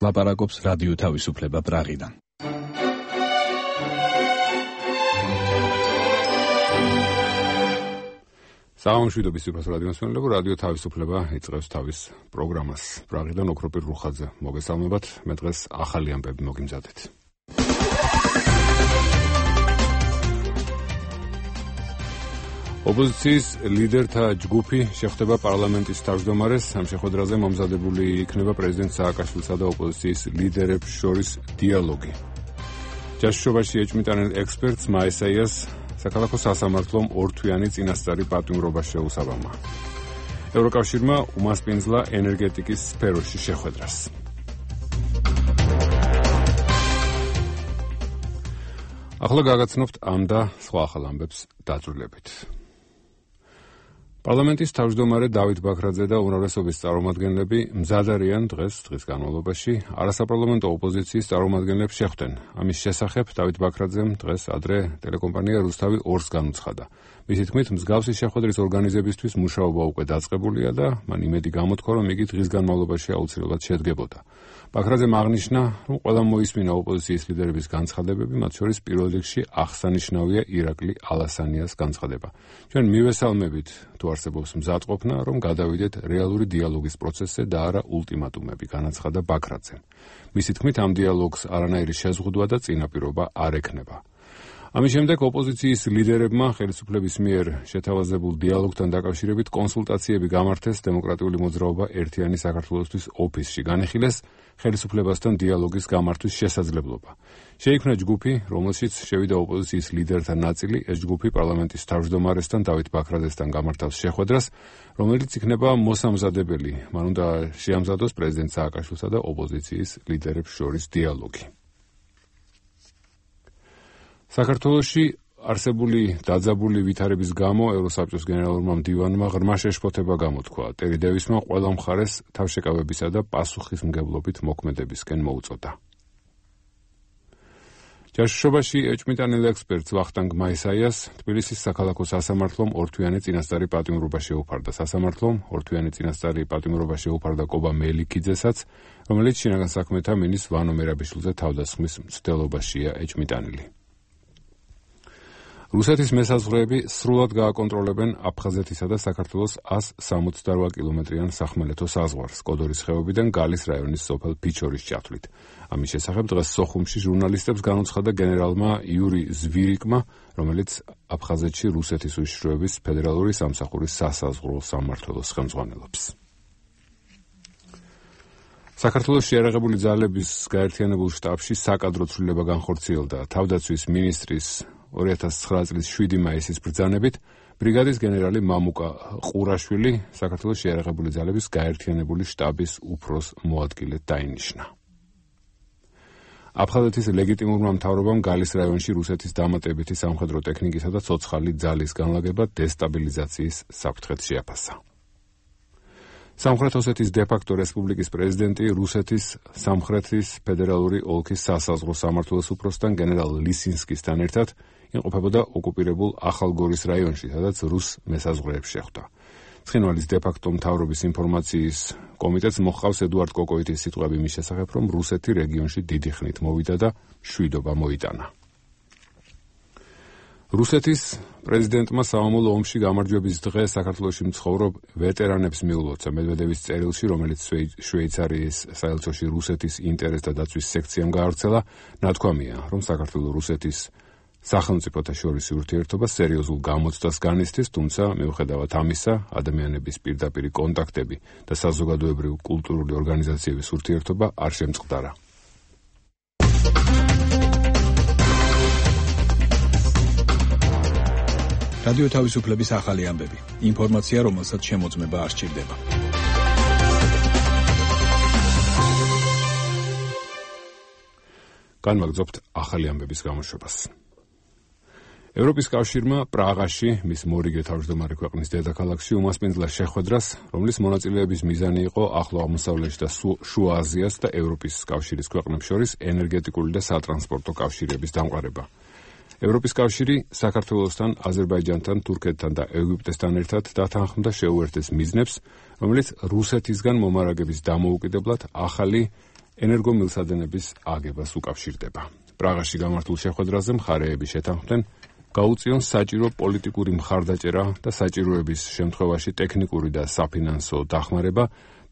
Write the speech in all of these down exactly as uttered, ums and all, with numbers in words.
ლაპარაკობს რადიო თავისუფლება პრაღიდან. საამშვიდობის სიყვარული რადიომსმენელებო, რადიო თავისუფლება იწყებს თავის პროგრამას. პრაღიდან ოქროპირ რუხაძე მოგესალმებათ. მე დღეს ახალი ამბები მოგიმზადეთ. ოპოზიციის ლიდერთა ჯგუფი შეხვდება პარლამენტის თავმჯდომარეს. ამ შეხვედრაზე მომზადებული იქნება პრეზიდენტ სააკაშვილსა და ოპოზიციის ლიდერებს შორის დიალოგი. ჯაშუშობაში ეჭვმიტანილ ექსპერტს მაესაიას საქალაქო სასამართლომ ორთვიანი წინასწარი პატიმრობა შეუსაბამა. ევროკავშირმა უმასპინძლა ენერგეტიკის სფეროში შეხვედრას. ახლა გაგაცნობთ ამ და სხვა ახალ ამბებს დაწვრილებით. პარლამენტის თავმჯდომარე დავით ბაქრაძე და უმრავლესობის წარმომადგენლები მზად არიან დღეს დღის განმავლობაში არასაპარლამენტო ოპოზიციის წარმომადგენლებს შეხვდნენ. ამის შესახებ დავით ბაქრაძემ დღეს ადრე ტელეკომპანია რუსთავი ორს განუცხადა. მისი თქმით, მსგავსი შეხვედრის ორგანიზებისთვის მუშაობა უკვე დაწყებულია და მან იმედი გამოთქვა, რომ იგი დღის განმავლობაში აუცილებლად შედგებოდა. ბაქრაძემ აღნიშნა, რომ ყველა მოისმინა ოპოზიციის ლიდერების განცხადებები, მათ შორის პირველ რიგში აღსანიშნავია ირაკლი ალასანიას განცხადება. ჩვენ მივესალმებით, თუ არსებობს მზადყოფნა, რომ გადავიდეთ რეალური დიალოგის პროცესზე და არა ულტიმატუმები, განაცხადა ბაქრაძემ. მისი თქმით, ამ დიალოგს არანაირი შეზღუდვა და წინაპირობა არ ექნება. ამის შემდეგ ოპოზიციის ლიდერებმა ხელისუფლების მიერ შეთავაზებულ დიალოგთან დაკავშირებით კონსულტაციები გამართეს დემოკრატიული მოძრაობა ერთიანი საქართველოსთვის ოფისში. განიხილეს ხელისუფლებასთან დიალოგის გამართვის შესაძლებლობა. შეიქმნა ჯგუფი, რომელშიც შევიდა ოპოზიციის ლიდერთა ნაწილი. ეს ჯგუფი პარლამენტის თავმჯდომარესთან დავით ბაქრაძესთან გამართავს შეხვედრას, რომელიც იქნება მოსამზადებელი. მან უნდა შეამზადოს პრეზიდენტ სააკაშვილსა და ოპოზიციის ლიდერებს შორის დიალოგი. საქართველოში არსებული დაძაბული ვითარების გამო ევროსაბჭოს გენერალურმა მდივანმა ღრმა შეშფოთება გამოთქვა. ტერი დევისმა ყველა მხარეს თავშეკავებისა და პასუხისმგებლობით მოქმედებისკენ მოუწოდა. ჯაშუშობაში ეჭვმიტანილ ექსპერტს ვახტანგ მაესაიას თბილისის საქალაქო სასამართლომ ორთვიანი წინასწარი პატიმრობა შეუფარდა. სასამართლომ ორთვიანი წინასწარი პატიმრობა შეუფარდა კობა მელიქიძესაც, რომელიც შინაგან საქმეთა მინისტრ ვანო მერაბიშვილზე თავდასხმის მცდელობაშია ეჭვმიტანილი. რუსეთის მესაზღვრეები სრულად გააკონტროლებენ აფხაზეთისა და საქართველოს ას სამოცდარვა კილომეტრიან სახმელეთო საზღვარს კოდორის ხეობიდან გალის რაიონის სოფელ ფიჩორის ჩათვლით. ამის შესახებ დღეს სოხუმში ჟურნალისტებს განუცხადა გენერალმა იური ზვირიკმა, რომელიც აფხაზეთში რუსეთის უშიშროების ფედერალური სამსახურის სასაზღვრო სამმართველოს ხელმძღვანელობს. საქართველოს შეიარაღებული ძალების გაერთიანებულ შტაბში საკადრო ცვლილება განხორციელდა. თავდაცვის მინისტრის ორი ათას ცხრა წლის შვიდი მაისის ბრძანებით ბრიგადის გენერალი მამუკა ყურაშვილი საქართველოს შეიარაღებული ძალების გაერთიანებული შტაბის უფროს მოადგილედ დაინიშნა. აფხაზეთის ლეგიტიმურმა მთავრობამ გალის რაიონში რუსეთის დამატებითი სამხედრო ტექნიკისა და ცოცხალი ძალის განლაგება დესტაბილიზაციის საფრთხედ შეაფასა. სამხრეთ ოსეთის დე-ფაქტო რესპუბლიკის პრეზიდენტი რუსეთის სამხრეთის ფედერალური ოლქის სასაზღვრო სამმართველოს უფროსთან გენერალ ლისინსკისთან ერთად იმყოფებოდა ოკუპირებულ ახალგორის რაიონში, სადაც რუს მესაზღვრეებს შეხვდა. ცხინვალის დე-ფაქტო მთავრობის ინფორმაციის კომიტეტს მოჰყავს ედუარდ კოკოიტის სიტყვები მის შესახებ, რომ რუსეთი რეგიონში დიდი ხნით მოვიდა და მშვიდობა მოიტანა. რუსეთის პრეზიდენტმა სამამულო ომში გამარჯვების დღე საქართველოში მცხოვრობ ვეტერანებს მიულოცა. მედვედევის წერილში, რომელიც შვეიცარიის საელჩოში რუსეთის ინტერესთა დაცვის სექციამ გაავრცელა, ნათქვამია, რომ საქართველოს რუსეთის სახელმწიფოთა შორის ურთიერთობა სერიოზულ გამოცდას განიცდის, თუმცა მიუხედავად ამისა, ადამიანების პირდაპირი კონტაქტები და საზოგადოებრივი კულტურული ორგანიზაციების ურთიერთობა არ შემწყდარა. რადიო თავისუფლების ახალი ამბები. ინფორმაცია, რომელსაც შემოწმება არ სჭირდება. განვაგრძობთ ახალი ამბების გამოშვებას. ევროპის კავშირმა პრაღაში, მის მორიგე თავმჯდომარე ქვეყნის დედაქალაქში უმასპინძლა შეხვედრას, რომლის მონაწილეების მიზანი იყო ახლო აღმოსავლეთში და შუა აზიას და ევროპის კავშირის ქვეყნებს შორის ენერგეტიკული და სატრანსპორტო კავშირების დამყარება. ევროპის კავშირი საქართველოსთან, აზერბაიჯანთან, თურქეთთან და ეგვიპტესთან ერთად დათანხმდა შეუერთდეს მიზნებს, რომელიც რუსეთისგან მომარაგების დამოუკიდებლად ახალი ენერგომილსადენების აგებას უკავშირდება. პრაღაში გამართულ შეხვედრაზე მხარეები შეთანხმდნენ გაუწიონ საჭირო პოლიტიკური მხარდაჭერა და საჭიროების შემთხვევაში ტექნიკური და საფინანსო დახმარება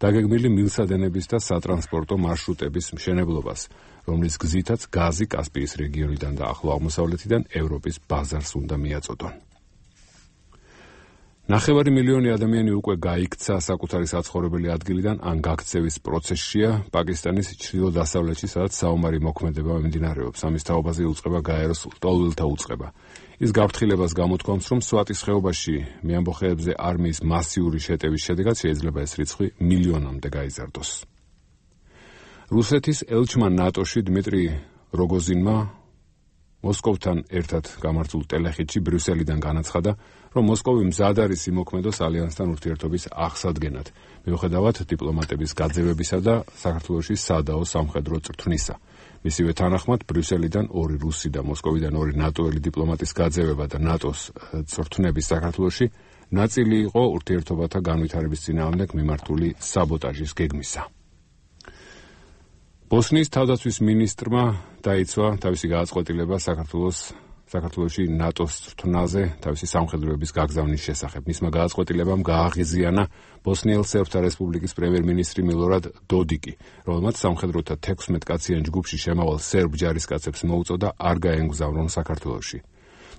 დაგეგმილი მილსადენების და სატრანსპორტო მარშრუტების მშენებლობას, რომლის გზითაც გაზი კასპიის რეგიონიდან და ახლო აღმოსავლეთიდან ევროპის ბაზარს უნდა მიაწოდონ. ნახევარი მილიონი ადამიანი უკვე გაიქცა საკუთარი საცხოვრებელი ადგილიდან ან გაქცევის პროცესშია პაკისტანის ჩრდილო-დასავლეთში, სადაც საომარი მოქმედება მიმდინარეობს. ამის თაობაზე იუწყება გაეროს ლტოლვილთა უწყება. ის გაფრთხილებას გამოთქვამს, რომ სვატის ხეობაში მეამბოხეებზე არმიის მასიური შეტევის შედეგად შეიძლება ეს რიცხვი მილიონამდე გაიზარდოს. რუსეთის ელჩმა ნატოში დმიტრი როგოზინმა მოსკოვთან ერთად გამართულ ტელეხიდში ბრიუსელიდან განაცხადა, რომ მოსკოვი მზად არის იმოქმედოს ალიანსთან ურთიერთობის აღსადგენად, მიუხედავად დიპლომატების გაძევებისა და საქართველოში სადაო სამხედრო წრთვნისა. მისივე თანახმად, ბრიუსელიდან ორი რუსი და მოსკოვიდან ორი ნატოელი დიპლომატის გაძევება და ნატოს წრთვნების საქართველოში ნაწილი იყო ურთიერთობათა განვითარების წინააღმდეგ მიმართული საბოტაჟის გეგმისა. ბოსნიის თავდაცვის მინისტრმა დაიცვა თავისი გააწყვეტილება საქართველოს საქართველოში ნატოს წრთვნაზე თავისი სამხედროების გაგზავნის შესახებ. მისმა გააწყვეტილებამ გააღიზიანა ბოსნიელ სერბთა რესპუბლიკის პრემიერ-მინისტრი მილორად დოდიკი, რომელმაც სამხედროთა თექვსმეტ კაციან ჯგუფში შემავალ სერბ ჯარისკაცებს მოუწოდა არ გაემგზავრონ საქართველოში.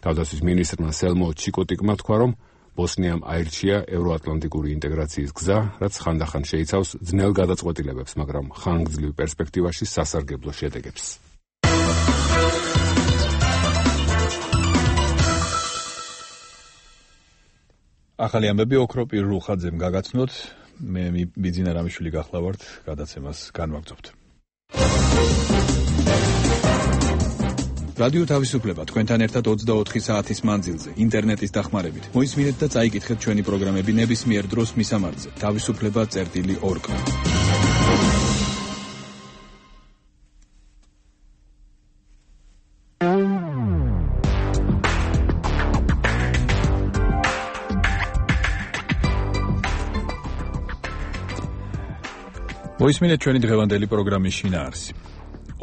თავდაცვის მინისტრმა სელმო ჩიკოტიკმა თქვა, რომ ბოსნიამ აირჩია ევროატლანტიკური ინტეგრაციის გზა, რაც ხანდახან შეიცავს ძნელ გადაწყვეტილებებს, მაგრამ ხანგრძლივ პერსპექტივაში სასარგებლო შედეგებს. ახალი ამბები ოქროპირ რუხაძემ გაგაცნოთ, მე ბიძინა რამიშვილი გახლავართ, გადაცემას განვაგრძობთ. რადიო თავისუფლება თქვენთან ერთად ოცდაოთხი საათის მანძილზე, ინტერნეტის დახმარებით. მოისმინეთ და წაიკითხეთ ჩვენი პროგრამები ნებისმიერ დროს მისამართზე. თავისუფლება წერტილი ორგ. მოისმინეთ ჩვენი დღევანდელი პროგრამის შინაარსი.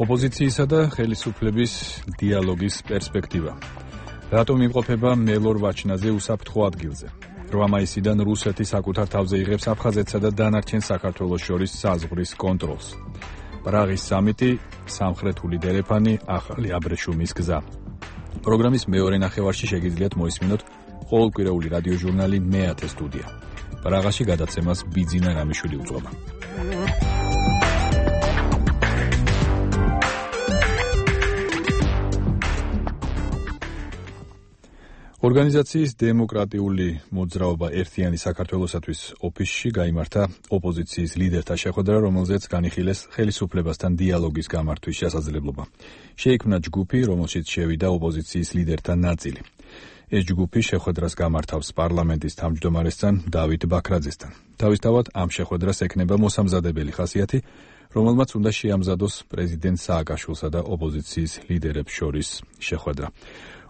ოპოზიციისა და ხელისუფლების დიალოგის პერსპექტივა. რატომ იმყოფება მელორ ვაჩნაძე უსაფრთხო ადგილზე? რვა მაისიდან რუსეთი საკუთარ თავზე იღებს აფხაზეთსა და დანარჩენ საქართველოს შორის საზღვრის კონტროლს. პრაღის სამიტი, სამხრეთული დერეფანი, ახალი აბრეშუმის გზა. პროგრამის მეორე ნახევარში შეგიძლიათ მოისმინოთ ყოველკვირეული რადიოჟურნალი მეათე სტუდია. პრაღაში გადაცემას ბიძინა რამიშვილი უძღვება. ორგანიზაციის დემოკრატიული მოძრაობა ერთიანი საქართველოსათვის ოფისში გაიმართა ოპოზიციის ლიდერთა შეხვედრა, რომელზეც განიხილეს ხელისუფლებასთან დიალოგის გამართვის შესაძლებლობა. შეიქმნა ჯგუფი, რომელშიც შევიდა ოპოზიციის ლიდერთა ნაწილი. ეს ჯგუფი შეხვედრას გამართავს პარლამენტის თავმჯდომარესთან დავით ბაქრაძესთან. თავისთავად ამ შეხვედრას ექნება მოსამზადებელი ხასიათი, რომელმაც უნდა შეამზადოს პრეზიდენტ სააკაშვილსა და ოპოზიციის ლიდერებს შორის შეხვედრა.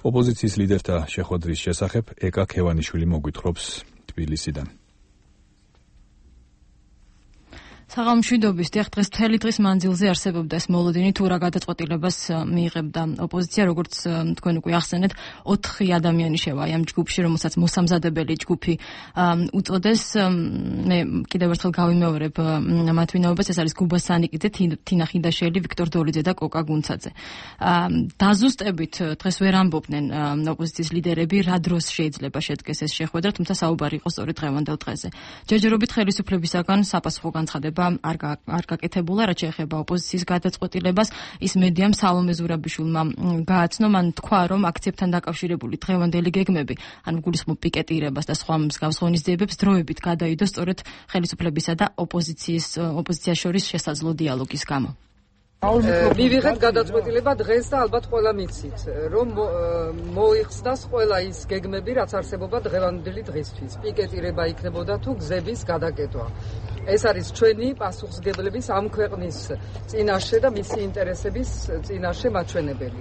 ოპოზიციის ლიდერთა შეხვედრის შესახებ ეკა ქევანიშვილი მოგვითხრობს თბილისიდან. საღამოშვიდობის დიახ, დღეს მთელი დღის მანძილზე არსებობდა ეს მოლოდინი, თუ რა გადაწყვეტილებას მიიღებდა ოპოზიცია, როგორც თქვენ უკვე ახსენეთ, ოთხი ადამიანი შევა ამ ჯგუფში, რომელსაც მოსამზადებელი ჯგუფი უწოდეს. მე კიდევ ერთხელ გავიმეორებ მათ ვინაობას, ეს არის გუბა სანიკიძე, თინა ხიდაშელი, ვიქტორ დოლიძე და კოკა გუნცაძე. დაზუსტებით დღეს ვერ ამბობდნენ ოპოზიციის ლიდერები, რა დროს შეიძლება შედგეს ეს შეხვედრა, თუმცა საუბარი იყო სწორედ დღევანდელ დღეზე. ჯერჯერობით ხელისუფლებისაგან საპასუხო განცხადება არ არ გაკეთებულა, რაც შეეხება ოპოზიციის გადაწყვეტილებას. ის მედიამ სალომე ზურაბიშვილმა გააცნო, მან თქვა, რომ აქციებთან დაკავშირებული დღევანდელი გეგმები, ანუ გულისხმობ პიკეტირებას და სხვა მსგავს ღონისძიებებს დროებით გადაიდო სწორედ ხელისუფლებისა და ოპოზიციის ოპოზიციას შორის შესაძლო დიალოგის გამო. მივიღეთ გადაწყვეტილება დღეს და ალბათ ყველა მიცით, რომ მოიხსნას ყველა ის გეგმები, რაც არსებობა დღევანდელი დღისთვის. პიკეტირება იქნებოდა თუ გზების გადაკეტვა. ეს არის ჩვენი პასუხისმგებლების ამ ქვეყნის წინაშე და მისი ინტერესების წინაშე მაჩვენებელი.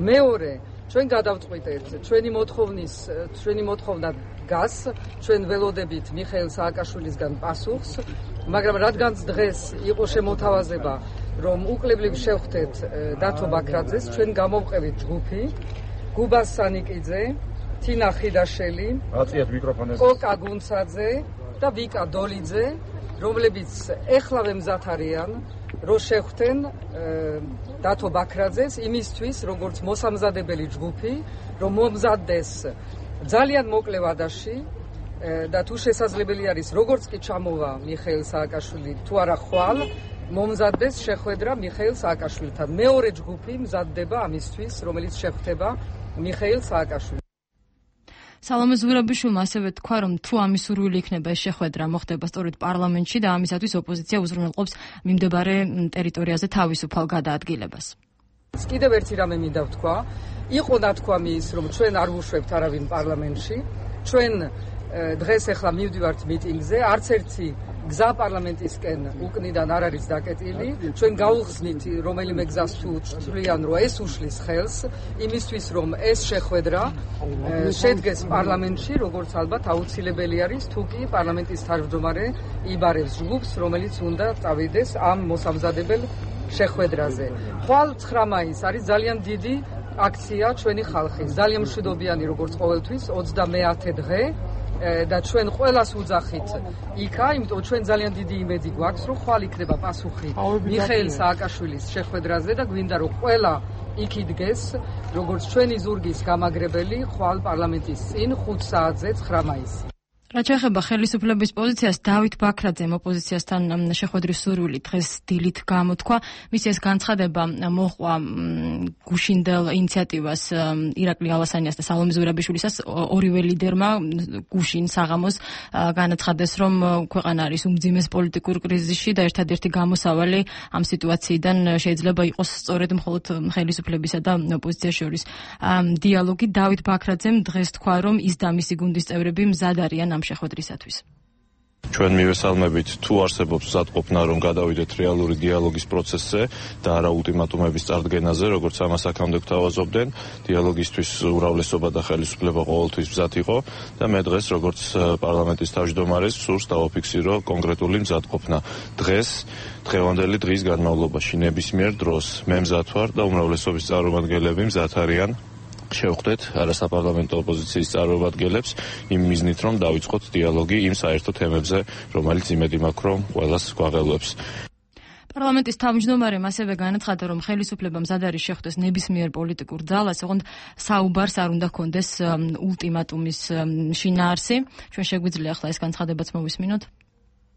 მეორე, ჩვენ გადავწყვიტეთ ჩვენი მოთხოვნის ჩვენი მოთხოვნა დგას, ჩვენ ველოდებით მიხეილ სააკაშვილისგან პასუხს, მაგრამ რადგანაც დღეს იყო შემოთავაზება რომ უკლებლივ შევხვდეთ დათო ბაქრაძეს, ჩვენ გამოვყევით ჯგუფი, გუბას სანიკიძე, თინა ხიდაშელი, აწიათ მიკროფონებს, კოკა გუნცაძე და ვიკა დოლიძე, რომლებიც ეხლავე მზად არიან, რომ შეხვდნენ დათო ბაქრაძეს იმისთვის, როგორც მოსამზადებელი ჯგუფი, რომ მომზადდეს ძალიან მოკლე ვადაში და თუ შესაძლებელი არის, როგორც კი ჩამოვა მიხეილ სააკაშვილი, თუ არა ხვალ, მომზადდეს შეხვედრა მიხეილ სააკაშვილთან. მეორე ჯგუფი მზადდება ამისთვის, რომელიც შეხვდება მიხეილ სააკაშვილს. სალომე ზურაბიშვილმა ასევე თქვა, რომ თუ ამის სურვილი იქნება ეს შეხვედრა მოხდება სწორედ პარლამენტში და ამისათვის ოპოზიცია უზრუნველყოფს მიმდებარე ტერიტორიაზე თავისუფალ გადაადგილებას. კიდევ ერთი რამე მინდა ვთქვა, იყო ნათქვამი ის, რომ ჩვენ არ ვუშვებთ არავინ პარლამენტში, ჩვენ დღეს ახლა მივდივართ მიტინგზე, არც ერთი გზა პარლამენტისკენ უკნიდან არ არის დაკეტილი, ჩვენ გავუხსნით რომელიმე გზას თუ თვლიან, რომ ეს უშლის ხელს იმისთვის, რომ ეს შეხვედრა შედგეს პარლამენტში, როგორც ალბათ აუცილებელი არის, თუ კი პარლამენტის თავმჯდომარე იბარებს ჯგუფს, რომელიც უნდა წავიდეს ამ მოსამზადებელ შეხვედრაზე. ხვალ ცხრა მაისს არის ძალიან დიდი აქცია ჩვენი ხალხის, ძალიან მშვიდობიანი როგორც ყოველთვის, ოცდამეათე დღე და ჩვენ ყველას უძახით იქა, იმიტომ ჩვენ ძალიან დიდი იმედი გვაქვს, რომ ხვალ იქნება პასუხი მიხეილ სააკაშვილის შეხვედრაზე და გვინდა რომ ყველა იქ იდგეს, როგორც ჩვენი ზურგის გამაგრებელი ხვალ პარლამენტის წინ ხუთ საათზე ცხრა მაისს. რაც შეეხება ხელისუფლების პოზიციას, დავით ბაქრაძემ ოპოზიციასთან შეხვედრის სურვილი დღეს დილით გამოთქვა. მის ეს განცხადება მოჰყვა გუშინდელ ინიციატივას ირაკლი ალასანიას და სალომე ზურაბიშვილისას. ორივე ლიდერმა გუშინ საღამოს განაცხადეს, რომ ქვეყანა არის უმძიმეს პოლიტიკურ კრიზისში და ერთადერთი გამოსავალი ამ სიტუაციიდან შეიძლება იყოს სწორედ მხოლოდ ხელისუფლებისა და ოპოზიციის შორის დიალოგი. დავით ბაქრაძემ დღეს თქვა, რომ ის და მისი გუნდის წევრები მზად არიან შეხვედრისათვის. ჩვენ მივესალმებით თუ არსებობს მზადყოფნა, რომ გადავიდეთ რეალური დიალოგის პროცესზე და არა ულტიმატუმების წარდგენაზე, როგორც ამას აქამდე გვთავაზობდნენ. დიალოგისთვის უმრავლესობა და ხელისუფლება ყოველთვის მზად იყო და მე დღეს როგორც პარლამენტის თავმჯდომარეს სურს დავაფიქსირო კონკრეტული მზადყოფნა. დღეს დღევანდელი დღის განმავლობაში ნებისმიერ დროს მე მზად ვარ და უმრავლესობის წარმომადგენლები მზად არიან შევხვდეთ არასაპარლამენტო ოპოზიციის წარმომადგენლებს იმ მიზნით, რომ დავიწყოთ დიალოგი იმ საერთო თემებზე, რომელიც იმედი მაქვს, რომ ყველას გვაღელვებს. პარლამენტის თავმჯდომარემ ასევე განაცხადა, რომ ხელისუფლება მზად არის შეხვდეს ნებისმიერ პოლიტიკურ ძალას, ოღონდ საუბარს არ უნდა ჰქონდეს ულტიმატუმის შინაარსი. ჩვენ შეგვიძლია ახლა ეს განცხადებაც მოვისმინოთ.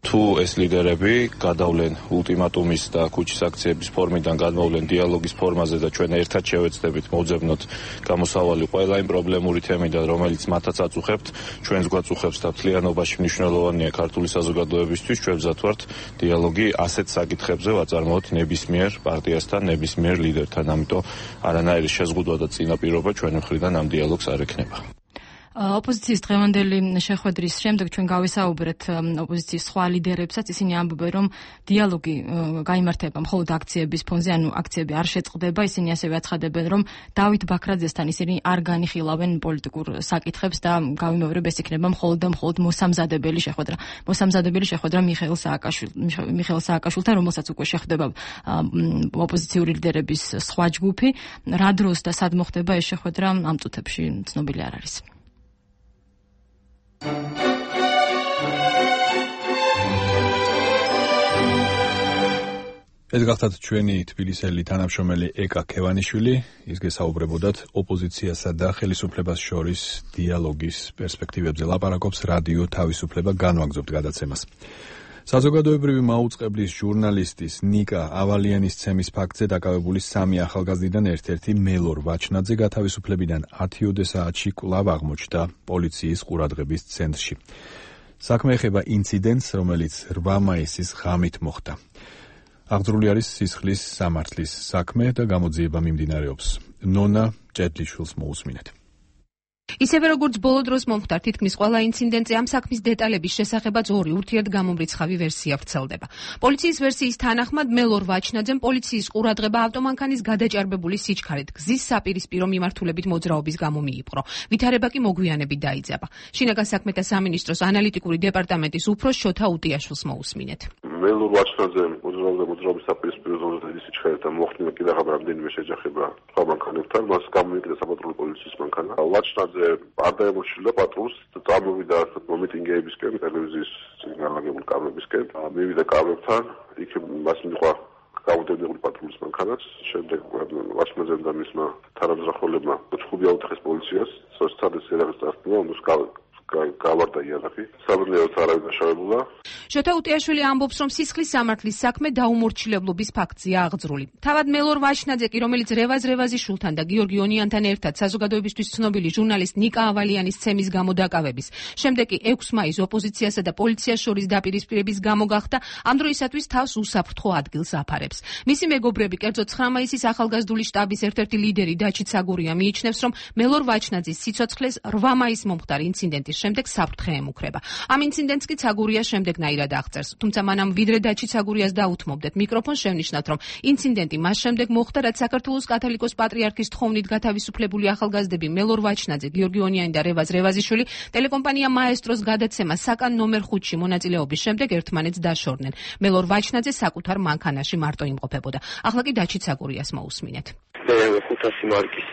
თუ ეს ლიდერები გადავლენ ულტიმატუმის და ქუჩის აქციების ფორმიდან გადმოვლენ დიალოგის ფორმაზე და ჩვენ ერთად შევეცდებით მოვძებნოთ გამოსავალი ყველა იმ პრობლემური თემიდან, რომელიც მათაც აწუხებთ, ჩვენს გვაწუხებს და მთლიანობაში მნიშვნელოვანია ქართული საზოგადოებისთვის, ჩვენ მზად ვართ დიალოგი ასეთ საკითხებზე ვაწარმოოთ ნებისმიერ პარტიასთან, ნებისმიერ ლიდერთან, ამიტომ არანაირი შეზღუდვა და წინაპირობა ჩვენი მხრიდან ამ დიალოგს არ ექნება. ოპოზიციის დღევანდელი შეხვედრის შემდეგ ჩვენ გავესაუბრეთ ოპოზიციის სხვა ლიდერებსაც, ისინი ამბობენ, რომ დიალოგი გაიმართება მხოლოდ აქციების ფონზე, ანუ აქციები არ შეწყდება. ისინი ასევე აცხადებენ, რომ დავით ბაქრაძესთან ისინი არ განიხილავენ პოლიტიკურ საკითხებს და გავიმეორებ, ეს იქნება მხოლოდ და მხოლოდ მოსამზადებელი შეხვედრა. მოსამზადებელი შეხვედრა მიხეილ სააკაშვილთან, მიხეილ სააკაშვილთან, რომელსაც უკვე შეხვდება ოპოზიციური ლიდერების სხვა ჯგუფი. რა დროს და სად მოხდება ეს შეხვედრა, ამ წუთებში ცნობილი არ არის. ეს გახლავთ ჩვენი თბილისელი თანამშრომელი ეკა ქევანიშვილი, ის გესაუბრებოდათ ოპოზიციასა და ხელისუფლებას შორის დიალოგის პერსპექტივებზე ლაპარაკობს რადიო თავისუფლება განვაგრძობთ გადაცემას. საზოგადოებრივი მაუწყებლის ჟურნალისტის ნიკა ავალიანის ცემის ფაქტზე დაკავებული სამი ახალგაზრდიდან ერთ-ერთი მელორ ვაჩნაძე გათავისუფლებიდან ათიოდე საათში კვლავ აღმოჩნდა პოლიციის ყურადღების ცენტრში. საქმე ეხება ინციდენტს, რომელიც რვა მაისის ღამით მოხდა. აღძრული არის სისხლის სამართლის საქმე და გამოძიება მიმდინარეობს. ნონა ჭედლიშვილს მოусმინეთ. ისევე როგორც ბოლო დროს მომხდარ თითქმის ყველა ინციდენტზე ამ საქმის დეტალების შესახებაც ორი ურთიერთგამომრიცხავი ვერსია ვრცელდება. პოლიციის ვერსიის თანახმად მელორ ვაჩნაძემ პოლიციის ყურადღება ავტომანქანის გადაჭარბებული სიჩქარით გზის საპირისპირო მიმართულებით მოძრაობის გამო მიიპყრო. ვითარება კი მოგვიანებით დაიძაბა. შინაგან საქმეთა სამინისტროს ანალიტიკური დეპარტამენტის უფროს შოთა უტიაშვილს მოусმინეთ. მელურ ვაჩნაძე მოძრაობდა მოძრაობის საპირისპირო ზონაზე ის ჩხერდა მოხდინა კიდევ რამდენიმე შეჯახება სხვა მანქანებთან, მას გამოიკიდა საპატრულო პოლიციის მანქანა. ვაჩნაძე არ დაემორჩილა პატრულს, წამოვიდა მომიტინგეებისკენ, ტელევიზიის განლაგებული კამერებისკენ, მივიდა კამერებთან, იქ მას მიყვა გამოდებული პატრულის მანქანაც, შემდეგ ვაჩნაძემ და მისმა თანამზრახველებმა ჩხუბი აუტეხეს პოლიციას, სოციალისტ ერაგის დასტურა, უნდა გავარდა იარაღი, საბრძოლოდ არავინ დაშავებულა. შოთა უტიაშვილი ამბობს, რომ სისხლის სამართლის საქმე დაუმორჩილებლობის ფაქტია აღძრული. თავად მელორ ვაჩნაძე კი, რომელიც რევაზ რევაზიშვილთან და გიორგი ონიანთან ერთად საზოგადოებისთვის ცნობილი ჟურნალისტ ნიკა ავალიანის ცემის გამო დაკავების, შემდეგ კი ექვსი მაისს ოპოზიციასა და პოლიციას შორის დაპირისპირების გამო გახდა, ამ დროისათვის თავს უსაფრთხო ადგილს აფარებს. მისი მეგობრები, კერძოდ ცხრა მაისის ახალგაზრდული შტაბის ერთ-ერთი ლიდერი დაჩი ცაგურია მიიჩნევს, რომ მელორ ვაჩნაძის სიცოცხლეს რვა მაისს მომხდარ ინციდენტის შემდეგ საფრთხე ემუქრება. ამ ინციდენტს კი ცაგურია შემდეგნაირად აღწერს. თუმცა მანამ ვიდრე დაჩი ცაგურიას დაუთმობდეთ მიკროფონს, შევნიშნავთ, რომ ინციდენტი მას შემდეგ მოხდა, რაც საქართველოს კათოლიკოს პატრიარქის თხოვნით გათავისუფლებული ახალგაზრდები მელორ ვაჩნაძე, გიორგი ონიანი და რევაზ რევაზიშვილი ტელეკომპანია მაესტროს გადაცემა საკან ნომერ ხუთში მონაწილეობის შემდეგ ერთმანეთს დაშორდნენ. მელორ ვაჩნაძე საკუთარ მანქანაში მარტო იმყოფებოდა. ახლა კი დაჩი ცაგურიას მოусმინეთ. ხუთასი მარკის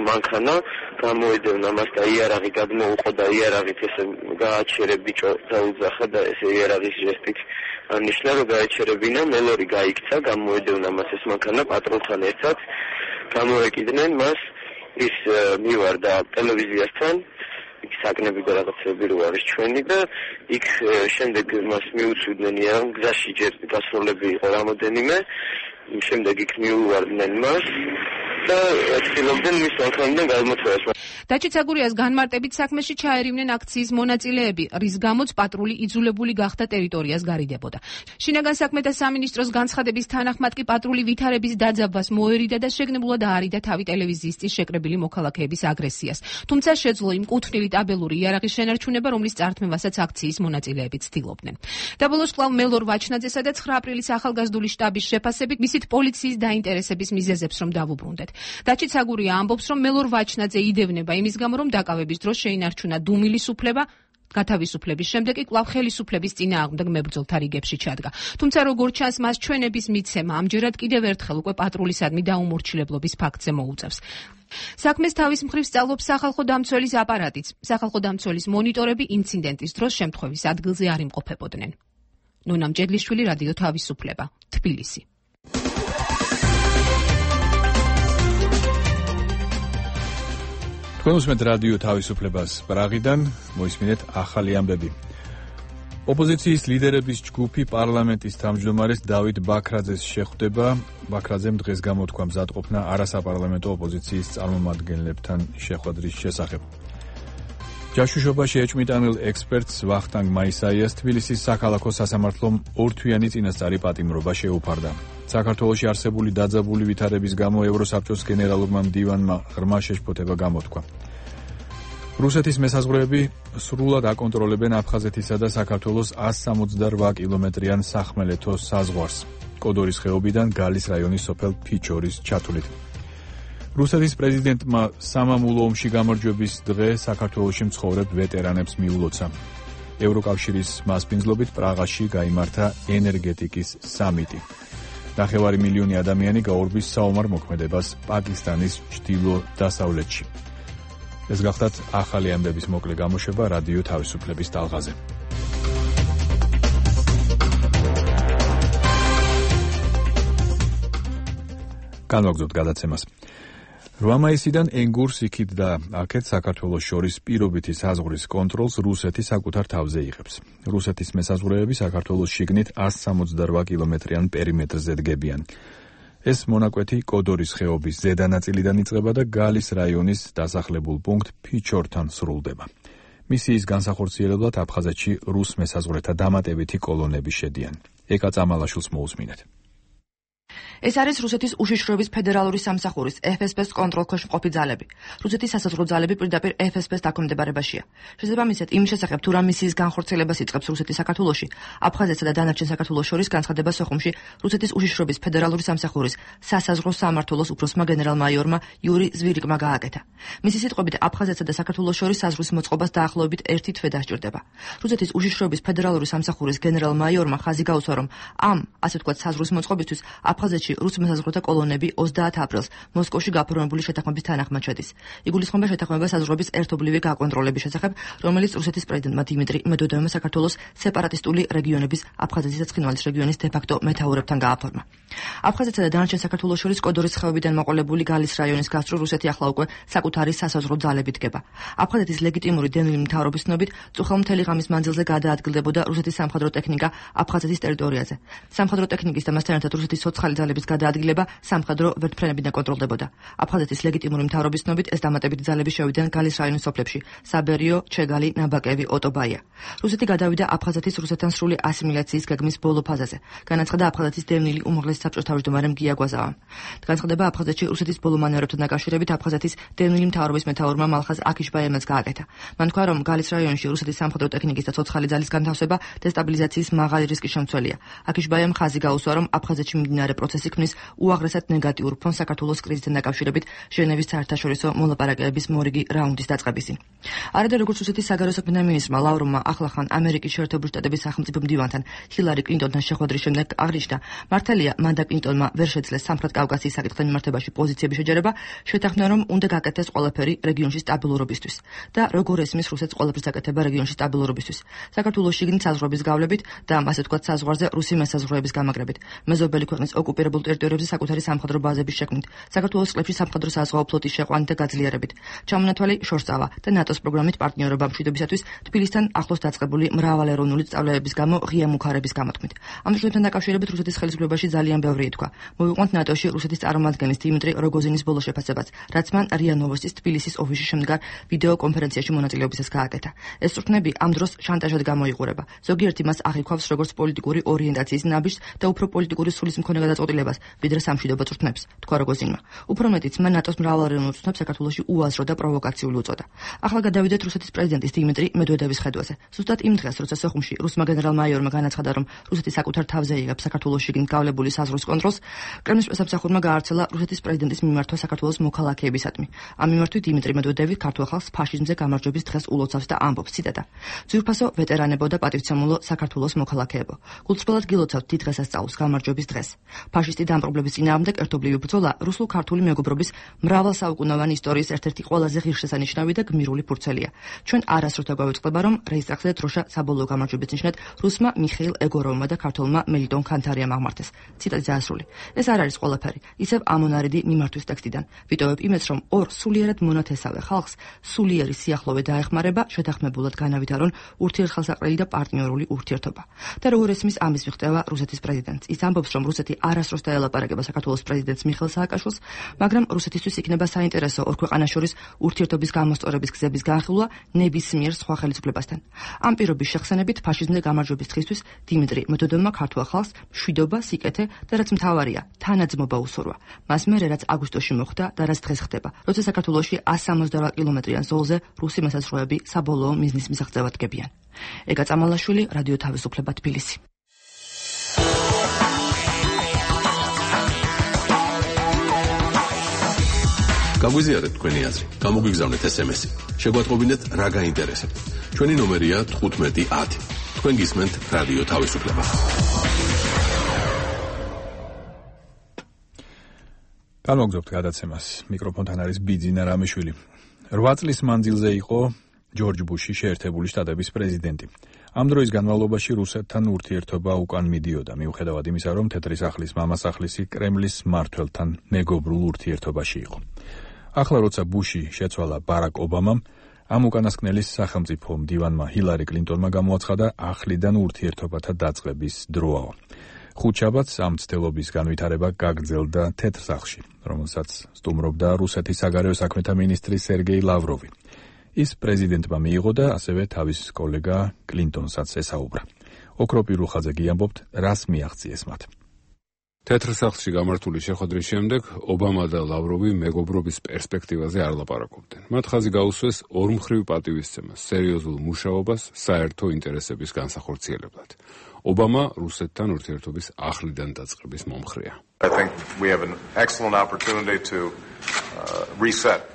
მანქანა გამოედევნა მას და იარაღი გადმოუყო და იარაღით ესე გააჩერე ბიჭო დაუძახა და ესე იარაღის ჟესტით ანიშნა რომ გააჩერებინა მელორი გაიქცა გამოედევნა მას ეს მანქანა პატრულთან ერთად გამოეკიდნენ მას ის მივარდა ტელევიზიასთან იქ საკნები და რაღაცები რო არის ჩვენი და იქ შემდეგ მას მიუწვდნენ იარაღ გზაში ჯერ გასროლები იყო რამოდენიმე შემდეგ იქ მიუვარდნენ მას და ცდილობდნენ მის მანქანიდან გადმოწევას. დაჩი ცაგურიას განმარტებით საქმეში ჩაერივნენ აქციის მონაწილეები, რის გამოც პატრული იძულებული გახდა ტერიტორიას გარიდებოდა. შინაგან საქმეთა სამინისტროს განცხადების თანახმად კი პატრული ვითარების დაძაბვას მოერიდა და შეგნებულად აარიდა თავი ტელევიზიის წინ შეკრებილი მოქალაქეების აგრესიას. თუმცა შეძლო იმ კუთვნილი ტაბელური იარაღის შენარჩუნება, რომლის წართმევასაც აქციის მონაწილეები ცდილობდნენ. დაბოლოს კვლავ მელორ ვაჩნაძესა და ცხრა აპრილის ახალგაზრდული შტაბის შეფასებით მისით პოლიციის დაინტერესების მიზეზებს რომ დავუბრუნდეთ. დაჩი ცაგურია ამბობს, რომ მელორ ვაჩნაძე იდევნება იმის გამო, რომ დაკავების დროს შეინარჩუნა დუმილის უფლება, გათავისუფლების შემდეგ კი კვლავ ხელისუფლების წინააღმდეგ მებრძოლთა რიგებში ჩადგა. თუმცა როგორც ჩანს, მას ჩვენების მიცემა ამჯერად კიდევ ერთხელ უკვე პატრულისადმი დაუმორჩილებლობის ფაქტზე მოუწევს. საქმეს თავის მხრივ სწავლობს სახალხო დამცველის აპარატიც. სახალხო დამცველის მონიტორები ინციდენტის დროს შემთხვევის ადგილზე არ იმყოფებოდნენ. ნონა მჭედლიშვილი, რადიო თავისუფლება, თბილისი. თქვენ უსმენთ რადიო თავისუფლებას პრაღიდან, მოისმინეთ ახალი ამბები. ოპოზიციის ლიდერების ჯგუფი პარლამენტის თავმჯდომარეს დავით ბაქრაძეს შეხვდება. ბაქრაძემ დღეს გამოთქვა მზადყოფნა არასაპარლამენტო ოპოზიციის წარმომადგენლებთან შეხვედრის შესახებ. ჯაშუშობაში ეჭვმიტანილ ექსპერტს ვახტანგ მაისაიას თბილისის საქალაქო სასამართლომ ორთვიანი წინასწარი პატიმრობა შეუფარდა. საქართველოში არსებული დაძაბული ვითარების გამო ევროსაბჭოს გენერალურმა მდივანმა ღრმა შეშფოთება გამოთქვა. რუსეთის მესაზღვრეები სრულად აკონტროლებენ აფხაზეთისა და საქართველოს ასი სამოცდარვა კილომეტრიან სახმელეთო საზღვარს. კოდორის ხეობიდან გალის რაიონის სოფელ ფიჩორის ჩათვლით. რუსეთის პრეზიდენტმა სამამულო ომში გამარჯვების დღე საქართველოში მცხოვრებ ვეტერანებს მიულოცა. ევროკავშირის მასპინძლობით პრაღაში გაიმართა ენერგეტიკის სამიტი. ნახევარი მილიონი ადამიანი გაურბის საომარ მოქმედებას პაკისტანის ჩრდილო-დასავლეთში. ეს გახლავთ ახალი ამბების მოკლე გამოშვება რადიო თავისუფლების ტალღაზე. განვაგრძობთ გადაცემას. რვა მაისიდან ენგურს იქით და აქეთ საქართველოს შორის პირობითი საზღვრის კონტროლს რუსეთი საკუთარ თავზე იღებს. რუსეთის მესაზღვრეები საქართველოს შიგნით ასი სამოცდარვა კილომეტრიან პერიმეტრზე დგებიან. ეს მონაკვეთი კოდორის ხეობის ზედა ნაწილიდან იწყება და გალის რაიონის დასახლებულ პუნქტ ფიჩორთან სრულდება. მისიის განსახორციელებლად აფხაზეთში რუს მესაზღვრეთა დამატებითი კოლონები შედიან. ეკა წამალაშვილს მოусმინეთ. ეს არის რუსეთის უშიშროების ფედერალური სამსახურის ეფ ეს პე-ს კონტროლქვეშ მყოფი ძალები. რუსეთის სასაზღვრო ძალები პირდაპირ ეფ ეს პე-ს დაქვემდებარებაშია. შესაბამისად, იმის შესახებ თუ რა მისიის განხორციელებას იწყებს რუსეთი საქართველოში, აფხაზეთსა და დანარჩენ საქართველოს შორის განცხადება სოხუმში რუსეთის უშიშროების ფედერალური სამსახურის სასაზღვრო სამმართველოს უფროსმა გენერალ-მაიორმა იური ზვირიკმა გააკეთა. მისი სიტყვებით, აფხაზეთსა და საქართველოს შორის საზღვრის მოწყობას დაახლოებით ერთი თვე დასჭირდება. რუსეთის უშიშროების ფედერალური სამსახურის გენერალ-მაიორმა ხაზი გაუსვა, რომ ამ, ასე ვთქვათ, საზღვრის მოწყობისთვის აფხაზეთში რუს მოსაზღვრეთა კოლონები ოცდაათ აპრილს მოსკოვში გაფორმებული შეთანხმების თანახმად შედის. იგულისხმება შეთანხმება საზღვრების ერთობლივი გაკონტროლების შესახებ, რომელიც რუსეთის პრეზიდენტმა დიმიტრი მედვედევმა საქართველოს სეპარატისტული რეგიონების აფხაზეთის და ცხინვალის რეგიონის დე-ფაქტო მეთაურებთან გააფორმა. აფხაზეთსა და დანარჩენ საქართველოს შორის კოდორის ხეობიდან მოყოლებული გალის რაიონის გასწვრივ რუსეთი ახლა უკვე საკუთარი სასაზღვრო ძალებით დგება. აფხაზეთის ლეგიტიმური დევნილი მთავრობის ცნობით, წუხელ მთელი ღამის მანძილზე გადაადგილდებოდა რუსეთის სამხედრო ტექნიკა აფხაზეთის ტერიტორიაზე. სამხედრო ტექნიკის და მასთან ერთად რუსეთის ცოცხალი ძალების გადაადგილება სამხედრო ვერტმფრენებიდან კონტროლდებოდა. აფხაზეთის ლეგიტიმური მთავრობის ცნობით, ეს დამატებითი ძალები შევიდნენ გალის რაიონის სოფლებში: საბერიო, ჩეგალი, ნაბაკევი, ოტობაია. რუსეთი გადავიდა აფხაზეთის რუსეთთან სრული ასიმილაციის გეგმის ბოლო ფაზაზე. განაცხადა აფხაზეთის დევნილი უმაღლესი საბჭოს თავმჯდომარემ გია გვაზავამ. განცხადება აფხაზეთში რუსეთის ბოლო მანევრებთან დაკავშირებით აფხაზეთის დევნილი მთავრობის მეთაურმა მალხაზ აქიშბაიემაც გააკეთა. მან თქვა, რომ გალის რაიონში რუსეთის სამხედრო ტექნიკის და ცოცხალი ძალის განთავსება დესტაბილიზაციის მაღალი რისკის შემცველია. აქიშბაიემ ხაზი გაუსვა, რომ აფხაზეთში მიმდინარე პროცესი ქმნის უაღრესად ნეგატიურ ფონს საქართველოს კრიზისთან დაკავშირებით ჟენევის საერთაშორისო მოლაპარაკებების მორიგი რაუნდის დაწყებისინ. არადა როგორც რუსეთის საგარეო საქმეთა მინისტრმა ლავროვმა ახლახან ამერიკის შეერთებული შტატების სახელმწიფო მდივანთან ჰილარი კლინტონთან შეხვედრის შემდეგ აღნიშნა, მართალია მან და კლინტონმა ვერ შეძლეს სამხრეთ კავკასიის საკითხთან მიმართებაში პოზიციების შეჯერება, შეთანხმდნენ, რომ უნდა გაკეთდეს ყველაფერი რეგიონში სტაბილურობისთვის და როგორ ესმის რუსეთს ყველაფრის გაკეთება რეგიონში სტაბილურობისთვის. საქართველოს შიგნით საზღვრების გავლებით და ასე ვთქვათ საზღვარზე რუსი მესაზღვრეების გამაგრებით, მეზობელი ქვეყნის ოკუპირებულ ტერიტორიებზე საკუთარი სამხედრო ბაზების შექმნით, საქართველოს წყლებში სამხედრო საზღვაო ფლოტის შეყვანით და გაძლიერებით, ჩამონათვალი შორსწავა და ნატოს პროგრამით პარტნიორობა მშვიდობისათვის თბილისთან ახლოს დაწყებული მრავალეროვნული სწავლებების გამო ღია მუქარების გამოთქმით. ამ შეთანხმებთან დაკავშირებით რუსეთის ხელისუფლებაში ძალიან ბევრი ითქვა. მოვიყვანთ ნატოში რუსეთის წარმომადგენლის დიმიტრი როგოზინის ბოლო შეფასებაც, რაც მან რია ნოვოსტის თბილისის ოფისში შემდგარ ვიდეო კონფერენციაში მონაწილეობისას გააკეთა. ეს წვრთნები ამ დროს შანტაჟად გამოიყურება. ზოგიერთი მას აღიქვავს როგორც პოლიტიკური ორიენტაციის ნაბიჯს და უფრო პოლიტიკური სულის მქონე გადაწყვეტილებას, ვიდრე სამშვიდობო წვრთნებს, თქვა როგოზინმა. უფრო მეტიც, მან ნატოს მრავალეროვნულ წვრთნებს საქართველოში უაზრო და პროვოკაციული უწოდა. ახლა გადავიდეთ რუსეთის პრეზიდენტის დიმიტრი მედვედევის ხედვაზე. ზუსტად იმ დღეს, როცა სოხუმში რუსმა გენერალ-მაიორმა განაცხადა, რომ რუსეთი საკუთარ თავზე იღებს საქართველოს შიგნით გავლებული საზღვრის კონტროლს, კრემლის პრესამსახურმა გაავრცელა რუსეთის პრეზიდენტის მიმართვა საქართველოს მოქალაქეებისადმი. ამ მიმართვით დიმიტრი მედვედევი ქართულ ხალხს ფაშიზმზე გამარჯვების დღეს ულოცავს და ამბობს, ციტატა: "ძვირფასო ვეტერანებო და პატივცემულო საქართველოს მოქალაქეებო, გულწრფელად გილოცავთ დიდ დღესასწაულს გამარჯვების დღეს. ფაშისტი დამპყრობლების წინააღმდეგ ერთობლივი ბრძოლა რუსულ-ქართული მეგობრობის მრავალსაუკუნოვანი ისტორიის ერთ-ერთი ყველაზე ღირსშესანიშნავი და გმირული ფურცელია. ჩვენ არასდროს დაგვავიწყდება, რომ რეისტრახზე დროშა საბოლოო გამარჯვების ნიშნად რუსმა მიხეილ ეგოროვმა და ქართველმა მელიტონ ქანთარიამ აღმართეს." ციტატი დაასრული. ეს არ არის ყველაფერი, ისევ ამონარიდი მიმართვის ტექსტიდან. ვიტოვებ იმედს, რომ ორ სულიერად მონათესავე ხალხს სულიერი სიახლოვე დაეხმარება, შეთანხმებულად განავითარონ ურთიერთხელსაყრელი და პარტნიორული ურთიერთობა. და როგორ ესმის ამის მიღწევა რუსეთის პრეზიდენტს. ის ამბობს, რომ რუსეთი არასდროს დაელაპარაკება საქართველოს პრეზიდენტს მიხეილ სააკაშვილს, მაგრამ რუსეთისთვის იქნება საინტერესო ორ ქვეყანას შორის ურთიერთობის გამოსწორების გზების განხილვა ნებისმიერ სხვა ხელისუფლებასთან. ამ პირობის შეხსენებით ფაშიზმზე გამარჯვების დღისთვის დიმიტრი მედვედევმა ქართულ ხალხს მშვიდობა, სიკეთე და რაც მთავარია, თანაძმობა უსურვა. მას მერე რაც აგვისტოში მოხდა და რაც დღეს ხდება, როცა საქართველოში εκατს სამოცდაოთხ კილომეტრიან ზოლზე რუსი მესაზღვრეები საბოლოო მიზნის მისაღწევად დგებიან. ეგა წამალაშვილი, რადიო თავისუფლება, თბილისი. გაგვიზიარეთ თქვენი აზრი, გამოგვიგზავნეთ ეს ემ ესი. შეგვატყობინეთ რა გაინტერესებთ. ჩვენი ნომერია თხუთმეტი ათი. თქვენ გისმენთ რადიო თავისუფლება. გამოგზავნებთ გადაცემას. მიკროფონთან არის ბიძინა რამიშვილი. რვა წლის მანძილზე იყო ჯორჯ ბუში შეერთებული შტატების პრეზიდენტი. ამ დროის განმავლობაში რუსეთთან ურთიერთობა უკან მიდიოდა, მიუხედავად იმისა, რომ თეთრი სახლის მამასახლისი კრემლის მმართველთან მეგობრულ ურთიერთობაში იყო. ახლა როცა ბუში შეცვალა ბარაკ ობამამ, ამ უკანასკნელის სახელმწიფო მდივანმა ჰილარი კლინტონმა გამოაცხადა ახლიდან ურთიერთობათა დაწყების დროა. ხუთშაბათს ამ მცდელობის განვითარება გაგრძელდა თეთრ სახლში, რომელსაც სტუმრობდა რუსეთის საგარეო საქმეთა მინისტრი სერგეი ლავროვი. ის პრეზიდენტმა მიიღო და ასევე თავის კოლეგა კლინტონსაც ესაუბრა. ოქროპირულ ხაზზე გიამბობთ, რას მიაღწიეს მათ. თეთრ სახლში გამართული შეხვედრის შემდეგ ობამა და ლავროვი მეგობრობის პერსპექტივაზე არ ლაპარაკობდნენ. მათ ხაზი გაუსვეს ორმხრივ პატივისცემას, სერიოზულ მუშაობას საერთო ინტერესების განსახორციელებლად. ობამა რუსეთთან ურთიერთობის ახლიდან დაწყების მომხრეა. I think we have an excellent opportunity to uh, reset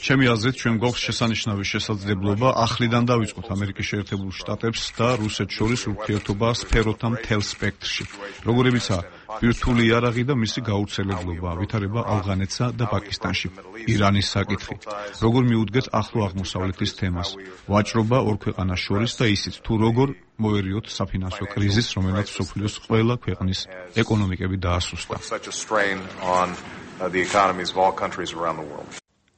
ჩემი აზრით, ჩვენ გვაქვს შესანიშნავი შესაძლებლობა ახლიდან დავიწყოთ ამერიკის შეერთებულ შტატებს და რუსეთს შორის ურთიერთობა სფეროთა მთელ სპექტრში. როგორებიცაა ბირთვული იარაღი და მისი გავრცელებლობა, ვითარება ავღანეთსა და პაკისტანში, ირანის საკითხი, როგორ მიუდგეთ ახლო აღმოსავლეთის თემას, ვაჭრობა ორ ქვეყანას შორის და ისიც თუ როგორ მოერიოთ საფინანსო კრიზისს, რომელიც მსოფლიოს ყველა ქვეყნის ეკონომიკები დაასუსტა.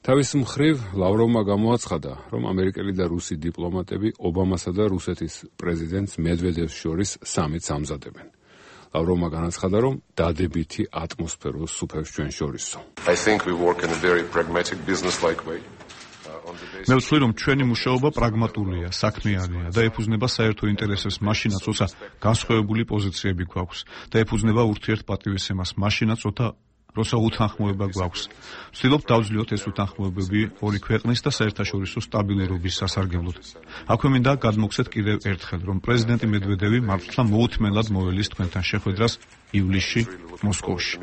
თავის მხრივ ლავროვმა გამოაცხადა, რომ ამერიკელი და რუსი დიპლომატები ობამასა და რუსეთის პრეზიდენტს მედვედევს შორის სამიტს ამზადებენ. ლავროვმა განაცხადა, რომ დადებითი ატმოსფერო სუფევს ჩვენ შორისო. I think we work in a very pragmatic business-like way. მე ვთვლი, რომ ჩვენი მუშაობა პრაგმატულია, საქმიანია და ეფუძნება საერთო ინტერესებს მაშინაც, როცა განსხვავებული პოზიციები გვაქვს და ეფუძნება ურთიერთპატივისცემას მაშინაც, როცა როცა უთანხმოება გვაქვს. ვცდილობთ დავძლიოთ ეს უთანხმოებები ორი ქვეყნის და საერთაშორისო სტაბილურობის სასარგებლოდ. აქვე მინდა გადმოგცეთ კიდევ ერთხელ, რომ პრეზიდენტი მედვედევი მართლა მოუთმენლად მოველის თქვენთან შეხვედრას ივლისში მოსკოვში.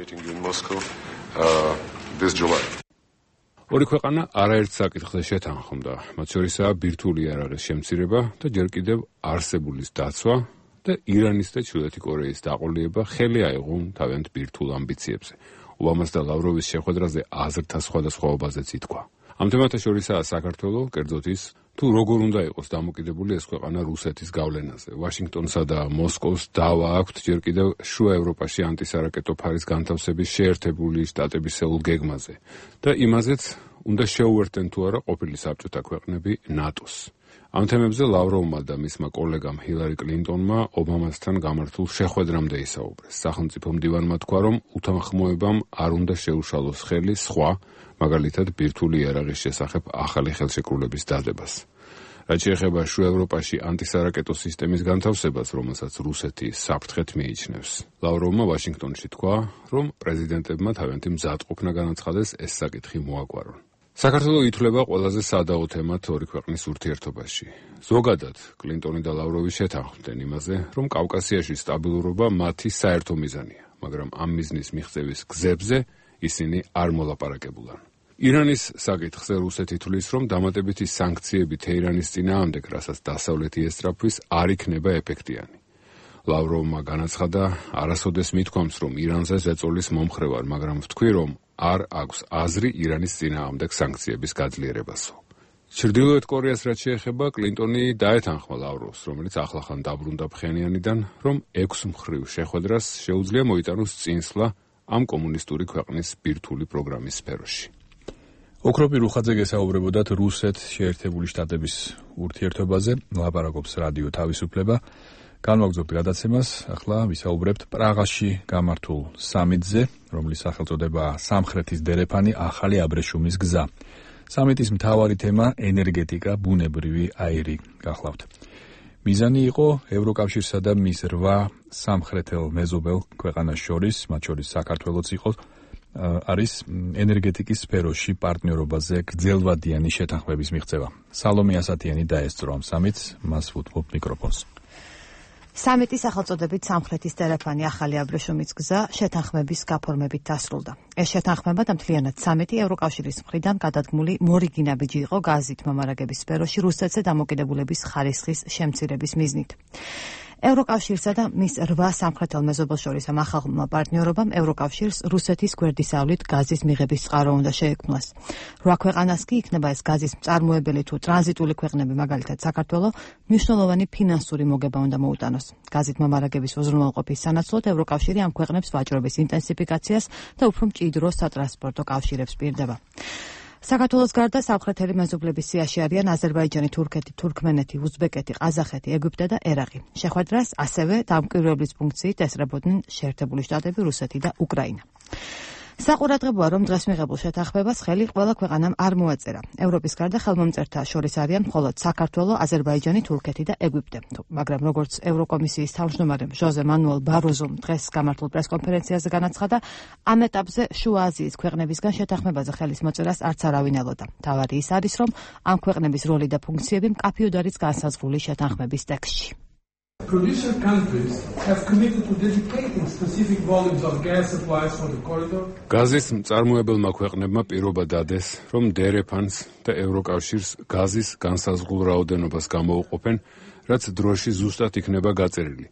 ორი ქვეყანა არაერთ საკითხზე შეთანხმდა, მათ შორისაა ბირთვული იარაღის შემცირება და ჯერ კიდევ არსებულის დაცვა და ირანის და ჩრდილოეთი კორეის დაყოლება ხელი აიღონ თავიანთ ბირთვულ ამბიციებზე. ობამას და ლავროვის შეხვედრაზე აზრთა სხვადასხვაობაზეც ითქვა. ამ თემათა შორისაა საქართველო, კერძოდ ის, თუ როგორ უნდა იყოს დამოკიდებული ეს ქვეყანა რუსეთის გავლენაზე. ვაშინგტონსა და მოსკოვს დავა აქვთ ჯერ კიდევ შუა ევროპაში ანტისარაკეტო ფარის განთავსების შეერთებული შტატებისეულ გეგმაზე და იმაზეც უნდა შეუერთდენ თუ არა ყოფილი საბჭოთა ქვეყნები ნატოს. ამ თემებზე ლავროვმა და მისმა კოლეგამ ჰილარი კლინტონმა ობამასთან გამართულ შეხვედრამდე ისაუბრეს. სახელმწიფო მდივანმა თქვა, რომ უთანხმოებამ არ უნდა შეუშალოს ხელი სხვა, მაგალითად ბირთვული იარაღის შესახებ ახალი ხელშეკრულების დადებას. რაც შეეხება შუა ევროპაში ანტისარაკეტო სისტემის განთავსებას, რომელსაც რუსეთი საფრთხეთ მიიჩნევს. ლავროვმა ვაშინგტონში თქვა, რომ პრეზიდენტებმა თავიანთი მზადყოფნა განაცხადეს ეს საკითხი მოაგვარონ. საქართველო ითვლება ყველაზე სადაო თემად ორი ქვეყნის ურთიერთობაში. ზოგადად, კლინტონი და ლავროვი შეთანხმდნენ იმაზე, რომ კავკასიაში სტაბილურობა მათი საერთო მიზანია, მაგრამ ამ მიზნის მიღწევის გზებზე ისინი არ მოლაპარაკებულან. ირანის საკითხზე რუსეთი თვლის, რომ დამატებითი სანქციები თეირანის წინააღმდეგ, რასაც დასავლეთი ესწრაფვის, არ იქნება ეფექტიანი. ლავროვმა განაცხადა, არასოდეს მithქვამს, რომ ირანზე ზეწოლის მომხრე ვარ, მაგრამ ვთქვი, რომ არ აქვს აზრი ირანის წინააღმდეგ სანქციების გაძლიერებასო. ჩრდილოეთ კორეას რაც შეეხება, კლინტონი დაეთანხმა ლავროვს, რომელიც ახლახან დაბრუნდა ფხენიანიდან, რომ ექვს მხრივ შეხვედრას შეუძლია მოიტანოს წინსვლა ამ კომუნისტური ქვეყნის ბირთვული პროგრამის სფეროში. ოქროპი რუხაძე გესაუბრებოდათ რუსეთ-შეერთებული შტატების ურთიერთობაზე, ლაპარაკობს რადიო თავისუფლება. განვაგრძობთ გადაცემას, ახლა ვისაუბრებთ პრაღაში გამართულ სამიტზე, რომლის სახელწოდებაა სამხრეთის დერეფანი ახალი აბრეშუმის გზა. სამიტის მთავარი თემა ენერგეტიკა, ბუნებრივი აირი გახლავთ. მიზანი იყო ევროკავშირსა და მის რვა სამხრეთელ მეზობელ ქვეყანას შორის, მათ შორის საქართველოც იყო, არის ენერგეტიკის სფეროში პარტნიორობაზე გრძელვადიანი შეთანხმების მიღწევა. სალომე ასათიანი დაესწრო ამ სამიტს, მას ვუთმობ მიკროფონს. სამიტის სახელწოდებით სამხრეთის დერეფანი ახალი აბრეშუმის გზა შეთანხმების გაფორმებით დასრულდა. ეს შეთანხმება და მთლიანად სამიტი ევროკავშირის მხრიდან გადადგმული მორიგი ნაბიჯი იყო გაზით მომარაგების სფეროში რუსეთზე დამოკიდებულების ხარისხის შემცირების მიზნით. ევროკავშირსა და მის რვა სამხრეთელ მეზობელს შორის ამ ახალმა პარტნიორობამ ევროკავშირს რუსეთის გვერდისავლით გაზის მიღების წყარო უნდა შეექმნას. რვა ქვეყანას კი იქნება ეს გაზის მწარმოებელი თუ ტრანზიტული ქვეყნები, მაგალითად საქართველო, მნიშვნელოვანი ფინანსური მოგება უნდა მოუტანოს. გაზით მომარაგების უზრუნველყოფის სანაცვლოდ ევროკავშირი ამ ქვეყნებს ვაჭრობის ინტენსიფიკაციას და უფრო მჭიდრო სატრანსპორტო კავშირებს პირდება. საქართველოს გარდა სამხრეთელი მეზობლების სიაში არიან აზერბაიჯანი, თურქეთი, თურქმენეთი, უზბეკეთი, ყაზახეთი, ეგვიპტე და ერაყი. შეხვედრას ასევე დამკვირვებლის ფუნქციით ესწრებოდნენ შეერთებული შტატები, რუსეთი და უკრაინა. საყურადღებოა, რომ დღეს მიღებულ შეთანხმებას ხელი ყველა ქვეყანამ არ მოაწერა. ევროპის გარდა ხელმომწერთა შორის არიან მხოლოდ საქართველო, აზერბაიჯანი, თურქეთი და ეგვიპტე. მაგრამ როგორც ევროკომისიის თავმჯდომარე ჟოზე მანუელ ბაროზომ დღეს გამართულ პრესკონფერენციაზე განაცხადა, ამ ეტაპზე შუა აზიის ქვეყნებისგან შეთანხმებაზე ხელის მოწერას არც არავინ ელოდა. თავარი ის არის, რომ ამ ქვეყნების როლი და ფუნქციები მკაფიოდ არის განსაზღვრული შეთანხმების ტექსტში. Producer countries have committed to dedicating specific volumes of gas supplies for the corridor. გაზის მწარმოებელმა ქვეყნებმა პირობა დადეს, რომ დერეფანს და ევროკავშირს გაზის განსაზღვრულ რაოდენობას გამოუყოფენ, რაც დროში ზუსტად იქნება გაწერილი.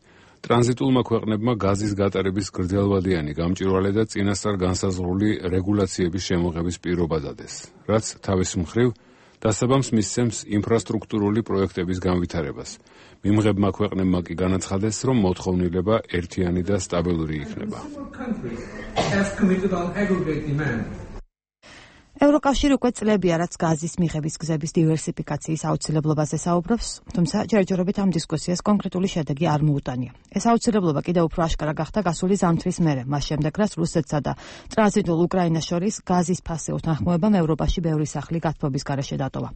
ტრანზიტულმა ქვეყნებმა გაზის გატარების გრძელვადიანი გამჭვირვალე და წინასწარ განსაზღვრული რეგულაციების შემოღების პირობა დადეს, რაც თავის მხრივ დასაბამს მისცემს ინფრასტრუქტურული პროექტების განვითარებას. მიმღებმა ქვეყნებმა კი განაცხადეს, რომ მოთხოვნილება ერთიანი და სტაბილური იქნება. ევროკავშირი უკვე წლებია, რაც გაზის მიღების გზების დივერსიფიკაციის აუცილებლობაზე საუბრობს, თუმცა ჯერჯერობით ამ დისკუსიას კონკრეტული შედეგი არ მოუტანია. ეს აუცილებლობა კიდევ უფრო აშკარა გახდა გასული ზამთრის მერე, მას შემდეგ, რაც რუსეთსა და ტრანზიტულ უკრაინას შორის გაზის ფასე უთანხმოებამ ევროპაში ბევრი სახლი გათბობის გარეშე დატოვა.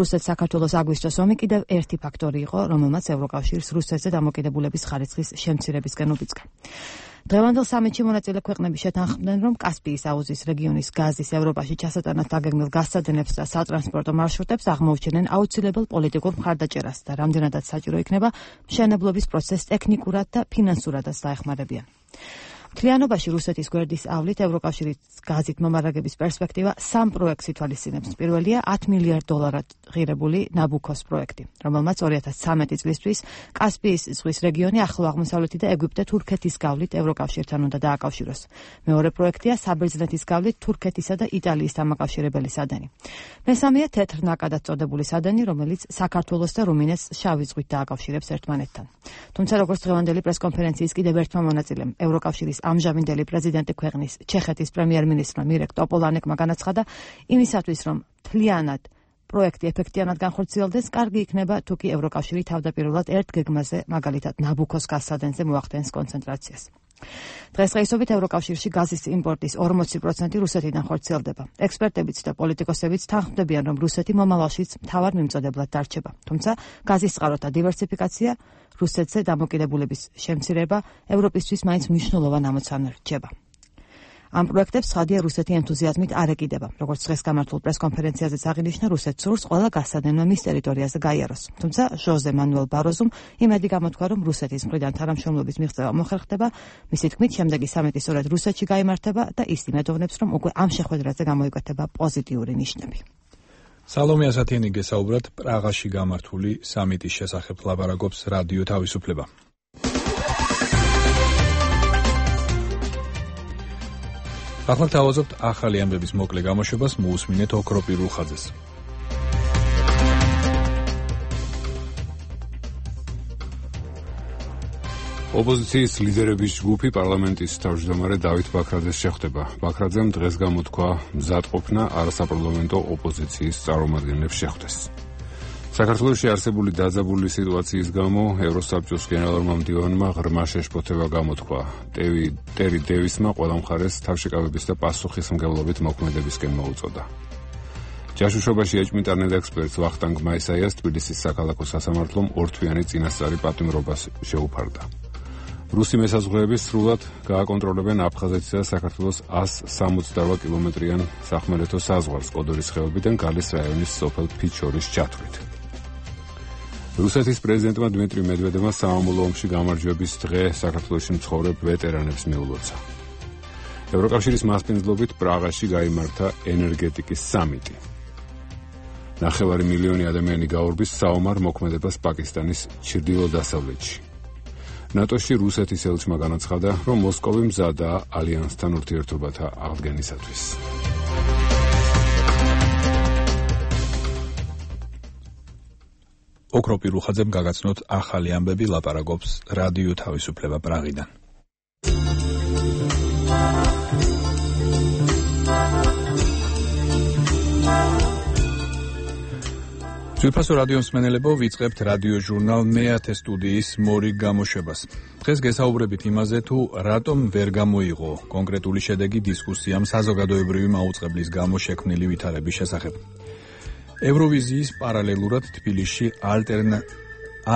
რუსეთ-საქართველოს აგვისტოს ომი კიდევ ერთი ფაქტორი იყო, რომელმაც ევროკავშირს რუსეთზე დამოკიდებულების ხარისხის შემცირებისკენ უბიძგა. დღევანდელ სამიტში მონაწილე ქვეყნები შეთანხმდნენ, რომ კასპიის აუზის რეგიონის გაზის ევროპაში ჩასატანად დაგეგმილ გაზსადენებს და სატრანსპორტო მარშრუტებს აღმოუჩენენ აუცილებელ პოლიტიკურ მხარდაჭერას და რამდენადაც საჭირო იქნება მშენებლობის პროცესს ტექნიკურად და ფინანსურადაც დაეხმარებიან. მთლიანობაში რუსეთის გვერდის ავლით ევროკავშირის გაზით მომარაგების პერსპექტივა სამ პროექტს ითვალისწინებს. პირველია ათ მილიარდ დოლარად ღირებული ნაბუქოს პროექტი, რომელმაც ორი ათას ცხრამეტი წლისთვის კასპიის ზღვის რეგიონი ახლო აღმოსავლეთი და ეგვიპტე თურქეთის გავლით ევროკავშირთან უნდა დააკავშიროს. მეორე პროექტია საბერძნეთის გავლით თურქეთისა და იტალიის დამაკავშირებელი სადენი. მესამეა თეთრ ნაკადად წოდებული სადენი, რომელიც საქართველოს და რუმინეთს შავი ზღვით დააკავშირებს ერთმანეთთან. თუმცა როგორც დღევანდელი პრესკონფერენციის კიდევ ერთმა მონაწილემ ევროკავშირის ამჟამინდელი პრეზიდენტი ქვეყნის ჩეხეთის პრემიერ-მინისტრმა მირეკ ტოპოლანეკმა განაცხადა, იმისათვის რომ მთლიანად პროექტი ეფექტიანად განხორციელდეს, კარგი იქნება თუ კი ევროკავშირი თავდაპირველად ერთ გეგმაზე, მაგალითად ნაბუქოს გაზსადენზე მოახდენს კონცენტრაციას. დღესდღეობით ევროკავშირში გაზის იმპორტის ორმოცი პროცენტი რუსეთიდან ხორციელდება. ექსპერტებიც და პოლიტიკოსებიც თანხმდებიან, რომ რუსეთი მომავალშიც მთავარ მიმწოდებლად დარჩება. თუმცა გაზის წყაროთა დივერსიფიკაცია, რუსეთზე დამოკიდებულების შემცირება ევროპისთვის მაინც მნიშვნელოვან ამოცანად რჩება. ამ პროექტებს ცხადია რუსეთი ენთუზიაზმით არ ეკიდება. როგორც დღეს გამართულ პრესკონფერენციაზეც აღინიშნა, რუსეთს სურს ყველა გაზსადენვა მის ტერიტორიაზე გაიაროს. თუმცა ჟოზე მანუელ ბაროზომ იმედი გამოთქვა, რომ რუსეთის მხრიდან თანამშრომლობის მიღწევა მოხერხდება, მისი თქმით, შემდეგი სამიტი სწორედ რუსეთში გაიმართება და ის იმედოვნებს, რომ უკვე ამ შეხვედრაზე გამოიკვეთება პოზიტიური ნიშნები. სალომე ასათიანი გესაუბრათ პრაღაში გამართული სამიტის შესახებ ლაპარაკობს რადიო თავისუფლება. ახლა თავაზობთ ახალი ამბების მოკლე გამოშვებას, მოусმინეთ ოქროპირულ ხაზეს. ოპოზიციის ლიდერების ჯგუფი პარლამენტის თავმჯდომარე დავით ბაქრაძეს შეხვდება. ბაქრაძემ დღეს გამოთქვა მზადყოფნა არასაპარლამენტო ოპოზიციის წარმომადგენლებს შეხვდეს. საქართველოში არსებული დაძაბული სიტუაციის გამო ევროსაბჭოს გენერალურმა მდივანმა ღრმა შეშფოთება გამოთქვა. ტერი დევისმა ყველა მხარეს თავშეკავების და პასუხისმგებლობით მოქმედებისკენ მოუწოდა. ჯაშუშობაში ეჭვმიტანილ ექსპერტს ვახტანგ მაისაიას თბილისის საქალაქო სასამართლომ ორთვიანი წინასწარი პატიმრობას შეუფარდა. რუსი მესაზღვრეები სრულად გააკონტროლებენ აფხაზეთისა და საქართველოს ას სამოცდარვა კილომეტრიან სახმელეთო საზღვარს კოდორის ხეობიდან გალის რაიონის სოფელ ფიჩორის ჩათვლით. რუსეთის პრეზიდენტმა დმიტრი მედვედევმა სამამულო ომში გამარჯვების დღე საქართველოში მცხოვრებ ვეტერანებს მიულოცა. ევროკავშირის მასპინძლობით პრაღაში გაიმართა ენერგეტიკის სამიტი. ნახევარი მილიონი ადამიანი გაურბის საომარ მოქმედებას პაკისტანის ჩრდილო-დასავლეთში. ნატოში რუსეთის ელჩმა განაცხადა, რომ მოსკოვი მზადაა ალიანსთან ურთიერთობათა აღდგენისათვის. ოქროპირულ ხაზებს გაგაცნოთ ახალი ამბები, ლაპარაკობს რადიო თავისუფლება პრაღიდან. ძვირფასო რადიოს მსმენელებო, ვიწყებთ რადიო ჟურნალ მეათე სტუდიის მორიგ გამოშვებას. დღეს გესაუბრებით იმაზე, თუ რატომ ვერ გამოიღო კონკრეტული შედეგი დისკუსიამ საზოგადოებრივი მაუწყებლის გამო შექმნილი ვითარების შესახებ. ევროვიზიის პარალელურად თბილისში ალტერნა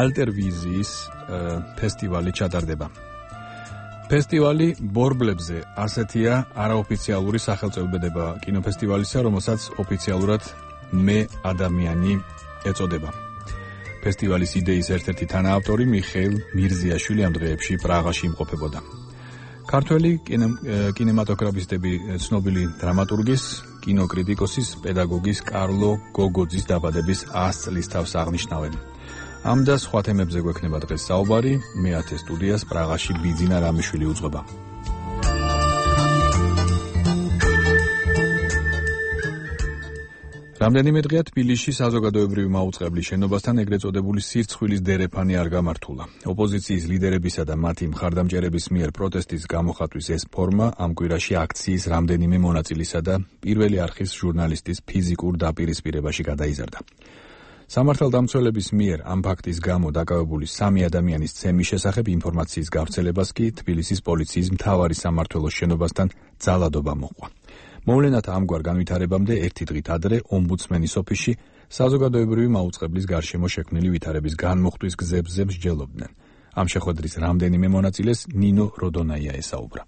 ალტერვიზიის ფესტივალი ჩატარდება. ფესტივალი ბორბლებზე ასეთია არაოფიციალური სახელწოდება კინოფესტივალისა, რომელსაც ოფიციალურად მე ადამიანი ეწოდება. ფესტივალის იდეის ერთ-ერთი თანაავტორი მიხეილ მირზიაშვილი ამ დღეებში პრაღაში იმყოფებოდა. ქართველი კინემატოგრაფისტები ცნობილი დრამატურგის, კინოკრიტიკოსის, პედაგოგის კარლო გოგოძის დაბადების ას წლის თავს აღნიშნავენ. ამ და სხვა თემებზე გვექნება დღეს საუბარი, მეათე სტუდიას პრაღაში ბიძინა რამიშვილი უძღვება. რამდენიმე დღეა თბილისში საზოგადოებრივი მაუწყებლის შენობასთან ეგრეთ წოდებული სირცხვილის დერეფანი არ გამართულა. ოპოზიციის ლიდერებისა და მათი მხარდამჭერების მიერ პროტესტის გამოხატვის ეს ფორმა ამ კვირაში აქციის რამდენიმე მონაწილისა და პირველი არხის ჟურნალისტის ფიზიკურ დაპირისპირებაში გადაიზარდა. სამართალდამცველების მიერ ამ ფაქტის გამო დაკავებული სამი ადამიანის ცემის შესახებ ინფორმაციის გავრცელებას კი თბილისის პოლიციის მთავარი სამმართველოს შენობასთან ძალადობა მოჰყვა. მოვლენათა ამგვარ განვითარებამდე ერთი დღით ადრე ომბუდსმენის ოფისში საზოგადოებრივი მაუწყებლის გარშემო შექმნილი ვითარების განმოხტვის გზებზე მსჯელობდნენ. ამ შეხვედრის რამდენიმე მონაწილეს ნინო როდონაია ესაუბრა.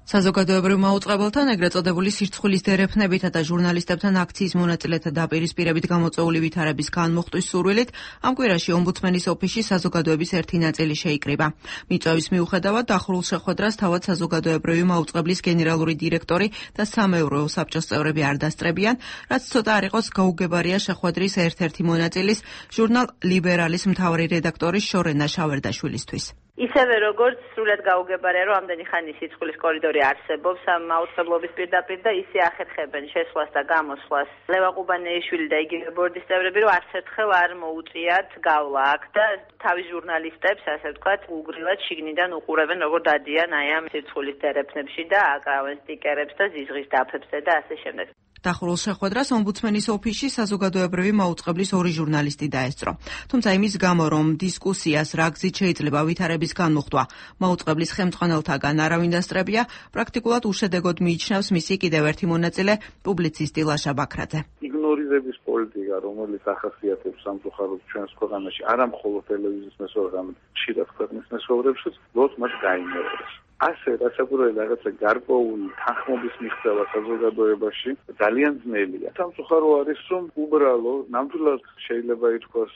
საზოგადოებრივ მაუწყებელთან ეგრეთ წოდებული სირცხვილის დერეფნებითა და ჟურნალისტებთან აქციის მონაწილეთა დაპირისპირებით გამოწვეული ვითარების განმოხტვის სურვილით ამ კვირაში ომბუდსმენის ოფისში საზოგადოების ერთი ნაწილი შეიკრიბა. მიწვევის მიუხედავად დახურულ შეხვედრას თავად საზოგადოებრივი მაუწყებლის გენერალური დირექტორი და სამეურვეო საბჭოს წევრები არ დასწრებიან, რაც ცოტა არ იყოს გაუგებარია შეხვედრის ერთ-ერთი მონაწილის ჟურნალ ლიბერალის მთავარი რედაქტორის შორენა შავერდაშვილისთვის. ისევე როგორც სრულად გაუგებარია, რომ ამდენი ხანი სიცხვილის კორიდორი არსებობს ამ მაუწყებლობის პირდაპირ და ისე ახერხებენ შესვლას და გამოსვლას ლევან ყუბანეიშვილი და იგივე ბორდის წევრები, რომ არც ერთხელ არ მოუწიათ გავლა აქ და თავის ჟურნალისტებს, ასე ვთქვათ, უგრილად შიგნიდან უყურებენ, როგორ დადიან აი ამ სიცხვილის დერეფნებში და აკრავენ სტიკერებს და ზიზღის დაფებზე და ასე შემდეგ. დახურულ შეხვედრას ომბუდსმენის ოფისში საზოგადოებრივი მაუწყებლის ორი ჟურნალისტი დაესწრო. თუმცა იმის გამო, რომ დისკუსიას რა გზით შეიძლება ვითარების განმუხტვა მაუწყებლის ხელმძღვანელთაგან არავინ დასწრებია, პრაქტიკულად უშედეგოდ მიიჩნევს მისი კიდევ ერთი მონაწილე, პუბლიცისტი ლაშა ბაქრაძე. იგნორირების პოლიტიკა, რომელიც ახასიათებს სამწუხაროდ ჩვენს ქვეყანაში, არა მხოლოდ ტელევიზიის მესოვრებად, ხშირად ქვეყნის მესოვრებშიც, ლოდ მას გაიმეორებს. ასე რასაკვირველი რაღაცა გარკვეული თანხმობის მიღწევა საზოგადოებაში ძალიან ძნელია. სამწუხარო არის, რომ უბრალო ნამდვილად შეიძლება ითქვას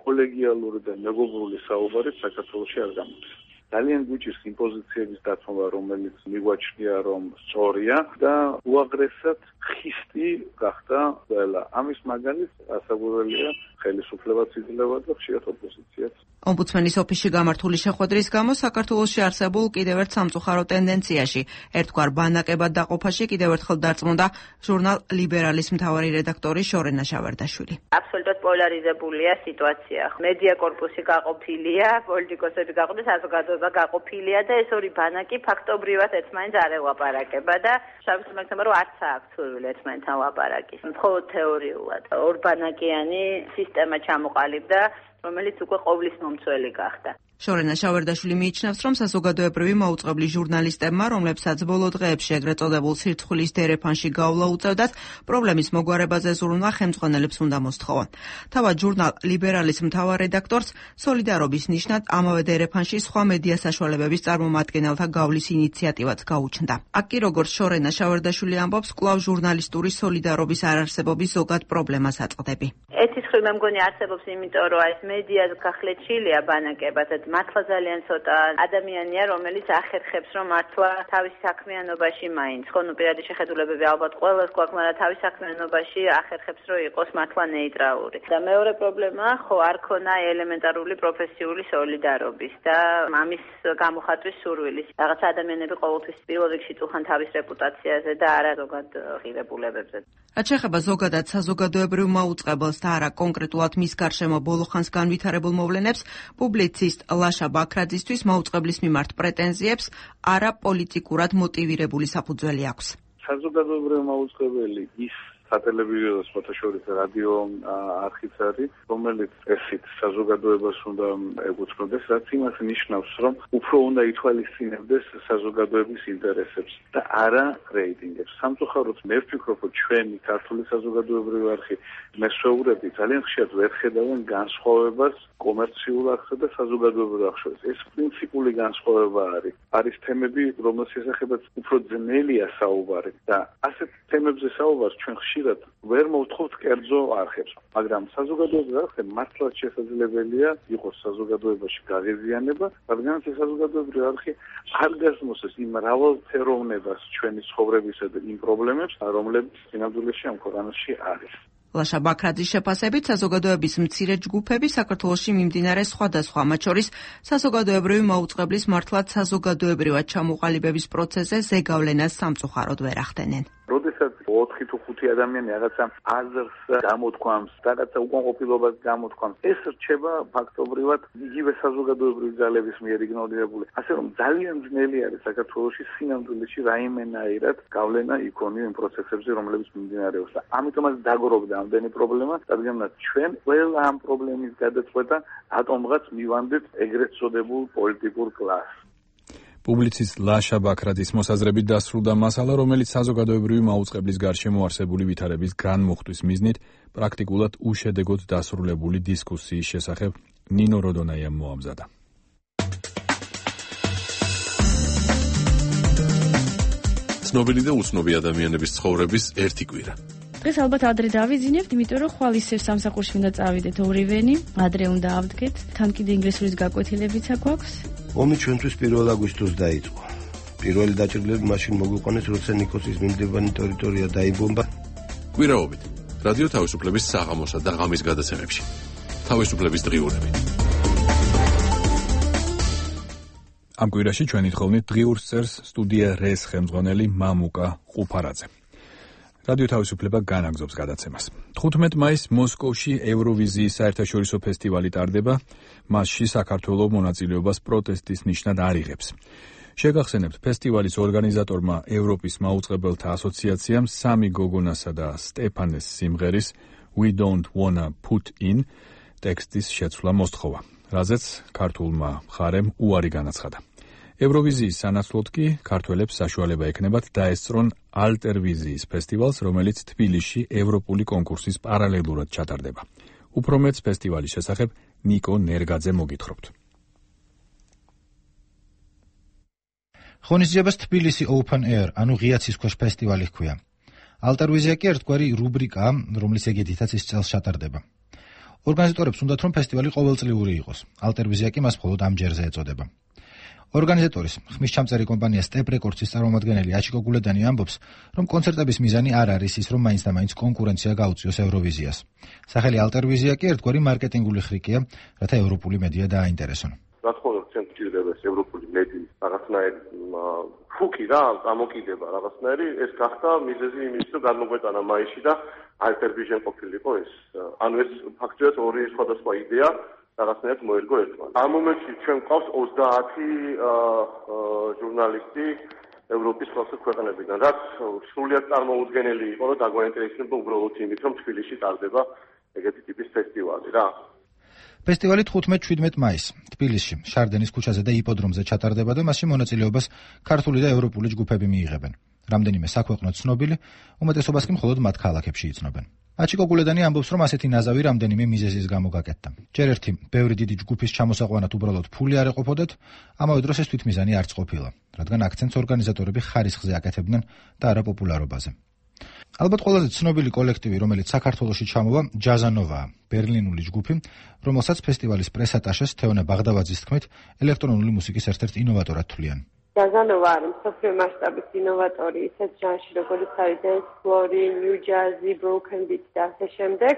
კოლეგიალური და მეგობრული საუბარი საქართველოში არ გამოდის. ძალიან გვიჭირს იმპოზიციების დათმობა, რომელიც მიგვაჩნია, რომ სწორია და უაღრესად ხისტი გახდა ყველა. ამის მაგალითს ასაკვირველია ხელისუფლებაც იძლევა და ხშირად ოპოზიციაც. ომბუდსმენის ოფისში გამართული შეხვედრის გამო საქართველოში არსებულ კიდევ ერთ სამწუხარო ტენდენციაში, ერთგვარ ბანაკებად დაყოფაში კიდევ ერთხელ დარწმუნდა ჟურნალ ლიბერალის მთავარი რედაქტორი შორენა შავერდაშვილი. აბსოლუტურად პოლარიზებულია სიტუაცია. მედია კორპუსი გაყოფილია, პოლიტიკოსები გაყოფილია, საზოგადოება გაყოფილია და ეს ორი ბანაკი ფაქტობრივად ერთმანეთს არ ელაპარაკება და შევსმენქნება, რომ არც აქვს სურვილი ერთმანეთთან ლაპარაკის. მხოლოდ თეორიულად ორბანაკიანი სისტემა ჩამოყალიბდა, რომელიც უკვე ყოვლის მომცველი გახდა. შორენა შავერდაშვილი მიიჩნევს, რომ საზოგადოებრივი მაუწყებლის ჟურნალისტებმა, რომლებსაც ბოლო დღეებში ეგრეთ წოდებულ სირცხვილის დერეფანში გავლა უწევდათ, პრობლემის მოგვარებაზე ზრუნვა ხელმძღვანელებს უნდა მოსთხოვონ. თავად ჟურნალ ლიბერალის მთავარ რედაქტორს სოლიდარობის ნიშნად ამავე დერეფანში სხვა მედია საშუალებების წარმომადგენელთა გავლის ინიციატივაც გაუჩნდა. აქ კი როგორც შორენა შავერდაშვილი ამბობს, კვლავ ჟურნალისტური სოლიდარობის არარსებობის ზოგად პრობლემას აწყდები. ეთის ხრი მე მგონი არსებობს, იმიტომ რომ ეს მედიას გახლეჩილია ბანაკებად. მართლა ძალიან ცოტა ადამიანია, რომელიც ახერხებს, რომ მართლა თავის საქმიანობაში მაინც, ხო, ნუ პირადი შეხედულებები ალბათ ყველას გვაქვს, მაგრამ თავის საქმიანობაში ახერხებს, რომ იყოს მართლა ნეიტრალური. და მეორე პრობლემა, ხო, არ ქონა ელემენტარული პროფესიული სოლიდარობის და ამის გამოხატვის სურვილის. რაღაც ადამიანები ყოველთვის პირველ რიგში წუხან თავის რეპუტაციაზე და არა ზოგად ღირებულებებზე. რაც შეეხება ზოგადად საზოგადოებრივ მაუწყებელს და არა კონკრეტულად მის გარშემო ბოლო ხანს განვითარებულ მოვლენებს, პუბლიცისტ ლაშა ბაქრაძისთვის მაუწყებლის მიმართ პრეტენზიებს არა პოლიტიკურად მოტივირებული საფუძველი აქვს. საზოგადოებრივი მაუწყებელი ის სატელევიზიო და სხვათა შორის რადიო არხიც არის, რომელიც ესით საზოგადოებას უნდა ეკუთვნოდეს, რაც იმას ნიშნავს, რომ უფრო უნდა ითვალისწინებდეს საზოგადოების ინტერესებს და არა რეიტინგებს. სამწუხაროდ მე ვფიქრობ, რომ ჩვენი ქართული საზოგადოებრივი არხი მესვეურები ძალიან ხშირად ვერ ხედავენ განსხვავებას კომერციულ არხსა და საზოგადოებრივ არხს შორის. ეს პრინციპული განსხვავება არის. არის თემები, რომელთა შესახებაც უფრო ძნელია საუბარი და ასეთ თემებზე საუბარს ჩვენ ხშირად ვერ მოვთხოვთ კერძო არხებს, მაგრამ საზოგადოებრივ არხებში მართლაც შესაძლებელია იყოს საზოგადოებაში გაღიზიანება, რადგანაც ეს საზოგადოებრივი არხი არ გასმოსეს იმ მრავალფეროვნებას ჩვენი ცხოვრებისა და იმ პრობლემებს, რომლებიც სინამდვილეში ამ ქვეყანაში არის. ლაშა ბაქრაძის შეფასებით საზოგადოების მცირე ჯგუფები საქართველოში მიმდინარე სხვადასხვა, მათ შორის საზოგადოებრივი მაუწყებლის მართლაც საზოგადოებრივად ჩამოყალიბების პროცესზე ზეგავლენას სამწუხაროდ ვერ ახდენენ. როდესაც ოთხი თუ ხუთი ადამიანი რაღაცა აზრს გამოთქვამს, რაღაცა უკმაყოფილებას გამოთქვამს, ეს რჩება ფაქტობრივად იგივე საზოგადოებრივი ძალების მიერ იგნორირებული. ასე რომ ძალიან ძნელი არის საქართველოში სინამდვილეში რაიმენაირად გავლენა იქონიო იმ პროცესებზე, რომლებიც მიმდინარეობს და ამიტომაც დაგროვდა ამდენი პრობლემა, რადგანაც ჩვენ ყველა ამ პრობლემის გადაწყვეტა ატომღაც მივანდეთ ეგრეთ წოდებულ პოლიტიკურ კლასს. პუბლიცისტ ლაშა ბაქრაძის მოსაზრებით დასრულდა მასალა, რომელიც საზოგადოებრივი მაუწყებლის გარშემო არსებული ვითარების განმუხტვის მიზნით პრაქტიკულად უშედეგოდ დასრულებული დისკუსიის შესახებ ნინო როდონაიამ მოამზადა. ცნობილი და უცნობი ადამიანების ცხოვრების ერთი კვირა. დღეს ალბათ ადრე დავიძინებთ, იმიტომ რომ ხვალ ისევ სამსახურში უნდა წავიდეთ ორივენი, ადრე უნდა ავდგეთ, თან კიდე ინგლისურის გაკვეთილებიცა გვაქვს. ომი ჩვენთვის პირველ აგვისტოს დაიწყო. პირველი დაჭრილები მაშინ მოგვიყვანეს, როცა ნიკოსის მიმდებარე ტერიტორია დაიბომბა. კვირაობით რადიო თავისუფლების საღამოსა და ღამის გადაცემებში. თავისუფლების დღიურები. ამ კვირაში ჩვენი თხოვნით დღიურს წერს სტუდია რეს ხელმძღვანელი მამუკა ყუფარაძე. რადიო თავისუფლება განაგზობს გადაცემას. თხუთმეტ მაისს მოსკოვში ევროვიზიის საერთაშორისო ფესტივალი ტარდება, მასში საქართველოს მონაწილეობას პროტესტის ნიშნად არ იღებს. შეგახსენებთ, ფესტივალის ორგანიზატორმა ევროპის მაუწყებელთა ასოციაციამ სამი გოგონასა და სტეფანეს სიმღერის We Don't Wanna Put In ტექსტის შეცვლა მოსთხოვა, რაზეც ქართულმა მხარემ უარი განაცხადა. ევროვიზიის სანაცვლოდ კი ქართველებს საშუალება ექნებათ დაესწრონ ალტერვიზიის ფესტივალს, რომელიც თბილისში ევროპული კონკურსის პარალელურად ჩატარდება. უფრო მეტს ფესტივალის შესახებ ნიკო ნერგაძე მოგითხრობთ. ღონისძიებას თბილისი Open Air, ანუ ღია ცისქვეშ ფესტივალი ჰქვია. ალტერვიზია კი ერთგვარი რუბრიკაა, რომლის ეგეთითაც ის წელს ჩატარდება. ორგანიზატორებს უნდათ, რომ ფესტივალი ყოველწლიური იყოს. ალტერვიზია კი მას მხოლოდ ამ ჯერზე ეწოდება. ორგანიზატორის ხმისჩამწერი კომპანია Step Records-ის წარმომადგენელი აჩიკო გულედანი ამბობს, რომ კონცერტების მიზანი არ არის ის, რომ მაინც და მაინც კონკურენცია გაუწიოს ევროვიზიას. სახელი ალტერვიზია კი ერთგვარი მარკეტინგული ხრიკია, რათა ევროპული მედია დააინტერესონ. რა თქმა უნდა, ჩვენ გვჭირდება ეს ევროპული მედიის რაღაცნაირი ფუკი რა, გამოკიდება რაღაცნაირი, ეს გახდა მიზეზი იმის, რომ გადმოგვეტანა მაისში და ალტერვიზიამ ყოფილიყო ეს. ანუ ეს ფაქტობრივად ორი სხვადასხვა იდეა რაღაცნაირად მოერგო ერთმანეთს. ამ მომენტში ჩვენ გვყავს ოცდაათი ჟურნალისტი ევროპის სხვადასხვა ქვეყნებიდან, რაც სრულიად წარმოუდგენელი იყო, რომ დაგვაინტერესებდა უბრალოდ იმით, რომ თბილისში ტარდება ეგეთი ტიპის ფესტივალი რა. ფესტივალი თხუთმეტ-შვიდმეტ მაისს თბილისში, შარდენის ქუჩაზე და იპოდრომზე ჩატარდება და მასში მონაწილეობას ქართული და ევროპული ჯგუფები მიიღებენ. რამდენიმე საქვეყნო ცნობილი, უმეტესობას კი მხოლოდ მათ ქალაქებში იცნობენ. აჩიკო გულედანი ამბობს, რომ ასეთი ნაზავი რამდენიმე მიზეზის გამო გაკეთდა. ჯერ ერთი, ბევრი დიდი ჯგუფის ჩამოსაყვანად უბრალოდ ფული არ ეყოფოდათ, ამავე დროს ეს თვითმიზანი არც ყოფილა, რადგან აქცენტს ორგანიზატორები ხარისხზე აკეთებდნენ და არა პოპულარობაზე. ალბათ ყველაზე ცნობილი კოლექტივი, რომელიც საქართველოში ჩამოვა, ჯაზანოვაა, ბერლინული ჯგუფი, რომელსაც ფესტივალის პრესატაშეს თეონე ბაღდავაძის თქმით, ელექტრონული მუსიკის ერთ-ერთ ინოვატორად თვლიან. ჯაზანოვა არის მსოფლიო მასშტაბის ინოვატორი ისეთ ჟანრში, როგორც არის dance floor, new jazz, broken beat და ასე შემდეგ.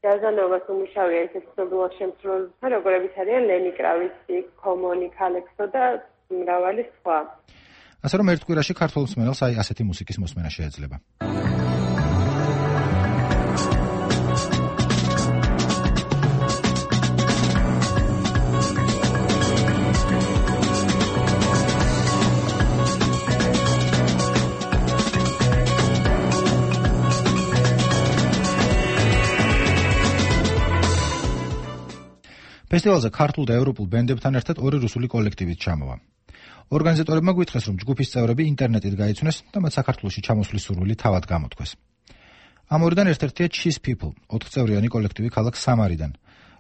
ჯაზანოვას უმუშავია ისეთ ცნობილ შემსრულებელთა, როგორებიც არიან ლენი კრავიცი, კომონი, კალექსო და მრავალი სხვა. ასე რომ ერთ კვირაში ქართულ მსმენელს აი ასეთი მუსიკის მოსმენა შეეძლება. ფესტივალზე ქართულ და ევროპულ ბენდებთან ერთად ორი რუსული კოლექტივიც ჩამოვა. ორგანიზატორებმა გვითხრეს, რომ ჯგუფის წევრები ინტერნეტით გაიცნეს და მათ საქართველოში ჩამოსვლის სურვილი თავად გამოთქვეს. ამ ორიდან ერთ-ერთია Cheese People, ოთხწევრიანი კოლექტივი ქალაქ სამარიდან,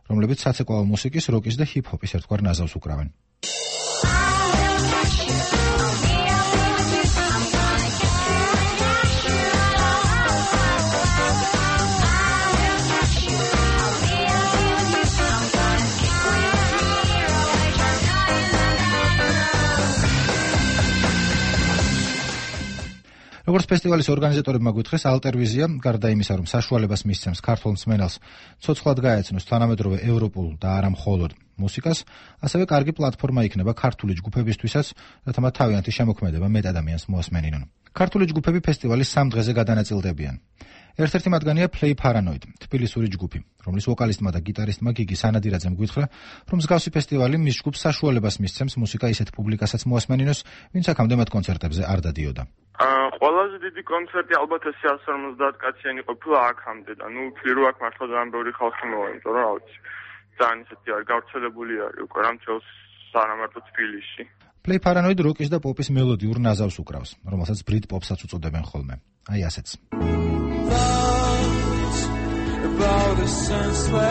რომლებიც საცეკვაო მუსიკის, როკის და ჰიპ-ჰოპის ერთგვარ ნაზავს უკრავენ. როგორც ფესტივალის ორგანიზატორებმა გვითხრეს, ალტერვიზია, გარდა იმისა, რომ საშუალებას მისცემს ქართულ მსმენელს ცოცხლად გაეცნოს თანამედროვე ევროპულ და არა მხოლოდ მუსიკას, ასევე კარგი პლატფორმა იქნება ქართული ჯგუფებისთვისაც, რათა მათ თავიანთი შემოქმედება მეტ ადამიანს მოასმენინონ. ქართული ჯგუფები ფესტივალის სამ დღეზე გადანაწილდებიან. ერთ-ერთი მათგანია Play Paranoid, თბილისური ჯგუფი, რომლის ვოკალისტმა და გიტარისტმა გიგი სანადირაძემ გვითხრა, რომ მსგავსი ფესტივალი მის ჯგუფს საშუალებას მისცემს მუსიკა ისეთ პუბლიკასაც მოასმენინოს, ვინც აქამდე მათ კონცერტებზე არ დადიოდა. ყველაზე დიდი კონცერტი ალბათ ეს εκατს ორმოცდაათ კაციანი ყოფილა აქამდე და ნუ ვფიქრი რომ აქ მართლა ძალიან ბევრი ხალხი მოვა, იმიტომ რომ რა ვიცი, ძალიან ისეთი არ გავრცელებული არის უკვე რამ თელს სანამარტო თბილისში. Play Paranoid როკის და პოპის მელოდიურ ნაზავს უკრავს, რომელსაც Brit Pop-საც უწოდებენ ხოლმე. აი ასეც. About a senseless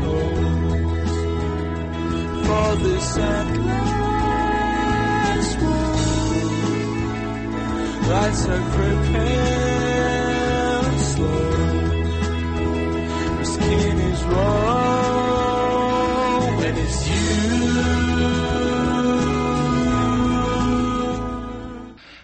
loss for this endless world, lights are creeping slow, the skin is raw when it's you.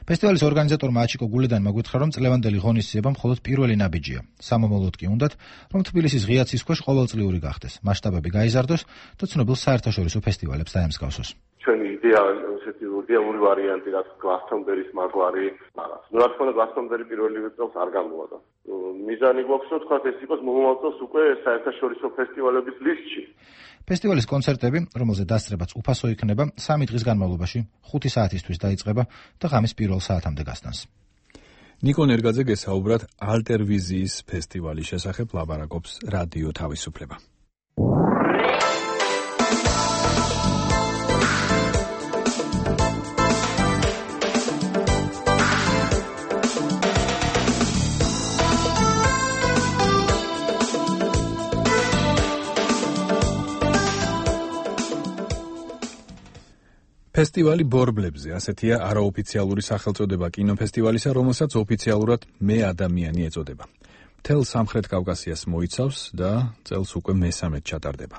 ფესტივალის ორგანიზატორმა აჩიკო გულედანმა გითხრა, რომ წლევანდელი ღონისძიება მხოლოდ პირველი ნაბიჯია. სამომავლოდ კი უნდათ, რომ თბილისის ღია ცის ქვეშ ყოველწლიური გახდეს, მასშტაბები გაიზარდოს და ცნობილ საერთაშორისო ფესტივალებს დაემსგავსოს. ჩვენი იდეა ესეთი იდეალური ვარიანტი, რაც გლასტონბერის მაგვარი, მაგრამ რა თქმა უნდა გლასტონბერი პირველივე წელს არ გამოვიდა. მიზანი გვაქვს, რომ თქვა ეს იყოს მომავალ წელს უკვე საერთაშორისო ფესტივალების ლისტში. ფესტივალის კონცერტები, რომელზე დასწრებაც უფასო იქნება, სამი დღის განმავლობაში ხუთი საათისთვის დაიწყება და ღამის პირველ საათამდე გასტანს. ნიკო ნერგაძე გესაუბრად ალტერვიზიის ფესტივალის შესახებ ლაბარაკობს რადიო თავისუფლება. ფესტივალი ბორბლებზე, ასეთია არაოფიციალური სახელწოდება კინოფესტივალისა, რომელსაც ოფიციალურად მე ადამიანი ეწოდება. მთელ სამხრეთ კავკასიას მოიცავს და წელს უკვე მესამედ ჩატარდება.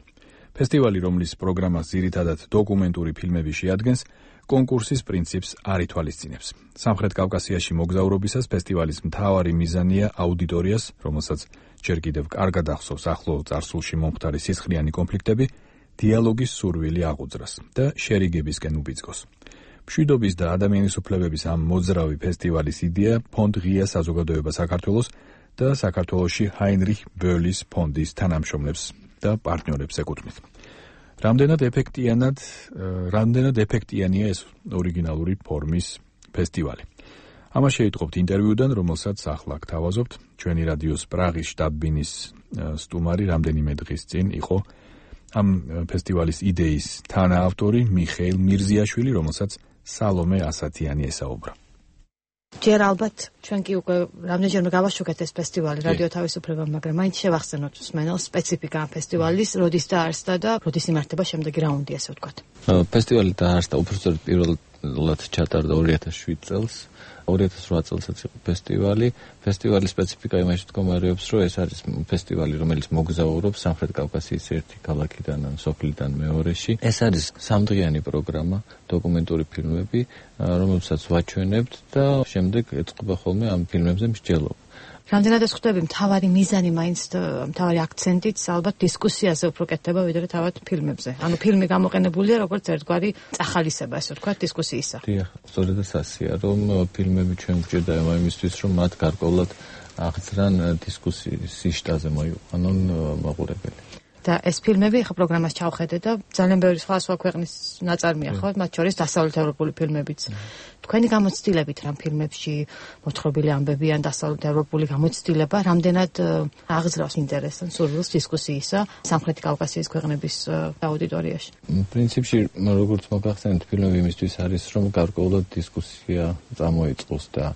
ფესტივალი, რომლის პროგრამას ძირითადად დოკუმენტური ფილმები შეადგენს, კონკურსის პრინციპს არ ითვალისწინებს. სამხრეთ კავკასიაში მოგზაურობისას ფესტივალის მთავარი მიზანია აუდიტორიას, რომელსაც ჯერ კიდევ კარგად ახსოვს ახლო წარსულში მომხდარი სისხლიანი კონფლიქტები, დიალოგის სურვილი აღუძრას და შერიგებისკენ უბიძგოს. მშვიდობის და ადამიანის უფლებების ამ მოძრავი ფესტივალის იდეა ფონდ ღია საზოგადოება საქართველოს და საქართველოში ჰაინრიხ ბოლის ფონდის თანამშრომლებს და პარტნიორებს ეკუთვნით. რამდენად ეფექტიანად, რამდენად ეფექტიანია ეს ორიგინალური ფორმის ფესტივალი. ამას შეიტყობთ ინტერვიუდან, რომელსაც ახლა გთავაზობთ. ჩვენი რადიოს პრაღის შტაბ-ბინის სტუმარი რამდენიმე დღის წინ იყო ამ ფესტივალის იდეის თანაავტორი მიხეილ მირზიაშვილი, რომელსაც სალომე ასათიანი ესაუბრა. ჯერ ალბათ ჩვენ კი უკვე რამდენჯერმე გავაშუქეთ ეს ფესტივალი რადიო თავისუფლება, მაგრამ მაინც შევახსენოთ მსმენელს სპეციფიკა ამ ფესტივალის, როდის დაარსდა და როდის იმართება შემდეგი რაუნდი, ასე ვთქვათ. ფესტივალი დაარსდა უბრალოდ პირველად ჩატარდა ორი ათას შვიდ წელს. ორი ათას რვა წელსაც იყო ფესტივალი. ფესტივალის სპეციფიკა იმაში მდგომარეობს, რომ ეს არის ფესტივალი, რომელიც მოგზაურობს სამხრეთ კავკასიის ერთი ქალაქიდან ან სოფლიდან მეორეში. ეს არის სამდღიანი პროგრამა, დოკუმენტური ფილმები, რომელსაც ვაჩვენებთ და შემდეგ ეწყობა ხოლმე ამ ფილმებზე მსჯელობა. რამდენად ეს ხვდები, მთავარი მიზანი მაინც მთავარი აქცენტიც ალბათ დისკუსიაზე უფრო კეთდება, ვიდრე თავად ფილმებზე. ანუ ფილმი გამოყენებულია როგორც ერთგვარი წახალისება, ასე ვთქვათ, დისკუსიისა. დიახ, სწორედ ასეა, რომ ფილმები ჩვენ გვჭირდა იმისთვის, რომ მათ გარკვეულად აღძრან დისკუსიის შტაზე მოიყვანონ მაყურებელი. და ეს ფილმები ახლა პროგრამას ჩავხედე და ძალიან ბევრი სხვა სხვა ქვეყნის ნაწარმია ხო, მათ შორის დასავლეთ ევროპული ფილმებიც. თქვენი გამოცდილებით რამ ფილმებში მოთხრობილი ამბები ან დასავლეთ ევროპული გამოცდილება რამდენად აღძრავს ინტერესს ან სურვილს დისკუსიისა სამხრეთი კავკასიის ქვეყნების აუდიტორიაში? პრინციპში როგორც მოგახსენეთ, ფილმები იმისთვის არის, რომ გარკვეულად დისკუსია წამოიწყოს და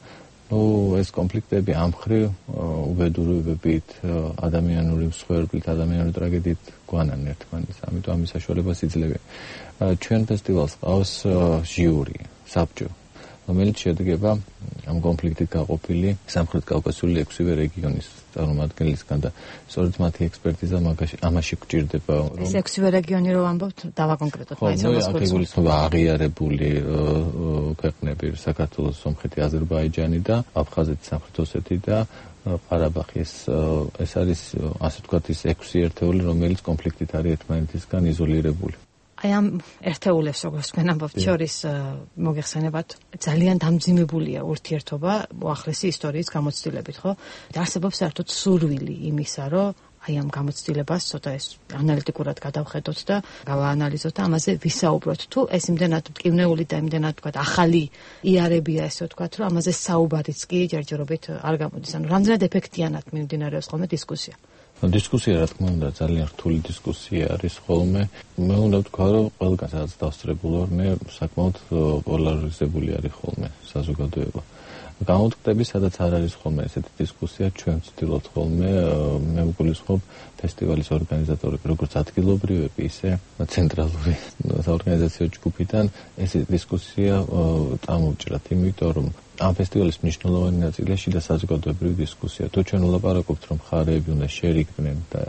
ну, ეს კონფლიქტები ამ მხრივ უბედურებებით, ადამიანური მსხვერპლით, ადამიანური ტრაგედიით გვანან ერთმანეთს. ამიტომ ამის საშუალებას იძლევენ. ჩვენ ფესტივალს ყავს ჟიური, საბჭო, რომელიც შედგება ამ კონფლიქტით გაყოფილი სამხრეთ კავკასიული ექვსივე რეგიონის წარმომადგენლისგან და სწორედ მათი ექსპერტიზა ამაში გვჭირდება. ეს ექვსივე რეგიონი რო ამბობთ, დავაკონკრეტოთ მაინც ამას. ხო, აგეგმული აღიარებული ქვეყნები, საქართველოს, სომხეთი, აზერბაიჯანი და აფხაზეთი, სამხრეთ ოსეთი და ყარაბაღი. ეს ეს არის ასე ვთქვათ ის ექვსი ერთეული, რომელიც კონფლიქტით არის ერთმანეთისგან იზოლირებული. აი ამ ერთეულებს როგორც თქვენ ამბობთ შორის მოგეხსენებათ ძალიან დამძიმებულია ურთიერთობა უახლესი ისტორიის გამოცდილებით, ხო? და არსებობს საერთოდ სურვილი იმისა, რომ აი ამ გამოცდილებას ცოტა ეს ანალიტიკურად გადავხედოთ და გავაანალიზოთ და ამაზე ვისაუბროთ. თუ ეს იმდენად მტკივნეული და იმდენად ვთქვათ ახალი იარებია, ესე ვთქვათ, რომ ამაზე საუბარიც კი ჯერჯერობით არ გამოდის. ანუ რამდენად ეფექტიანად მიმდინარეობს ხოლმე დისკუსია? დისკუსია რა თქმა უნდა ძალიან რთული დისკუსია არის ხოლმე. მე უნდა ვთქვა, რომ ყველგან სადაც დავსწრებულ ვარ, მე საკმაოდ პოლარიზებული არის ხოლმე საზოგადოება. გამოვთქვები, სადაც არ არის ხოლმე ესეთი დისკუსია, ჩვენ ვცდილობთ ხოლმე, მე ვგულისხმობ ფესტივალის ორგანიზატორები, როგორც ადგილობრივები, ისე ცენტრალური საორგანიზაციო ჯგუფიდან ეს დისკუსია წამოვჭრათ, იმიტომ რომ ამ ფესტივალის მნიშვნელოვანი ნაწილია შიდა საზოგადოებრივი დისკუსია. თუ ჩვენ ვლაპარაკობთ, რომ მხარეები უნდა შერიგდნენ და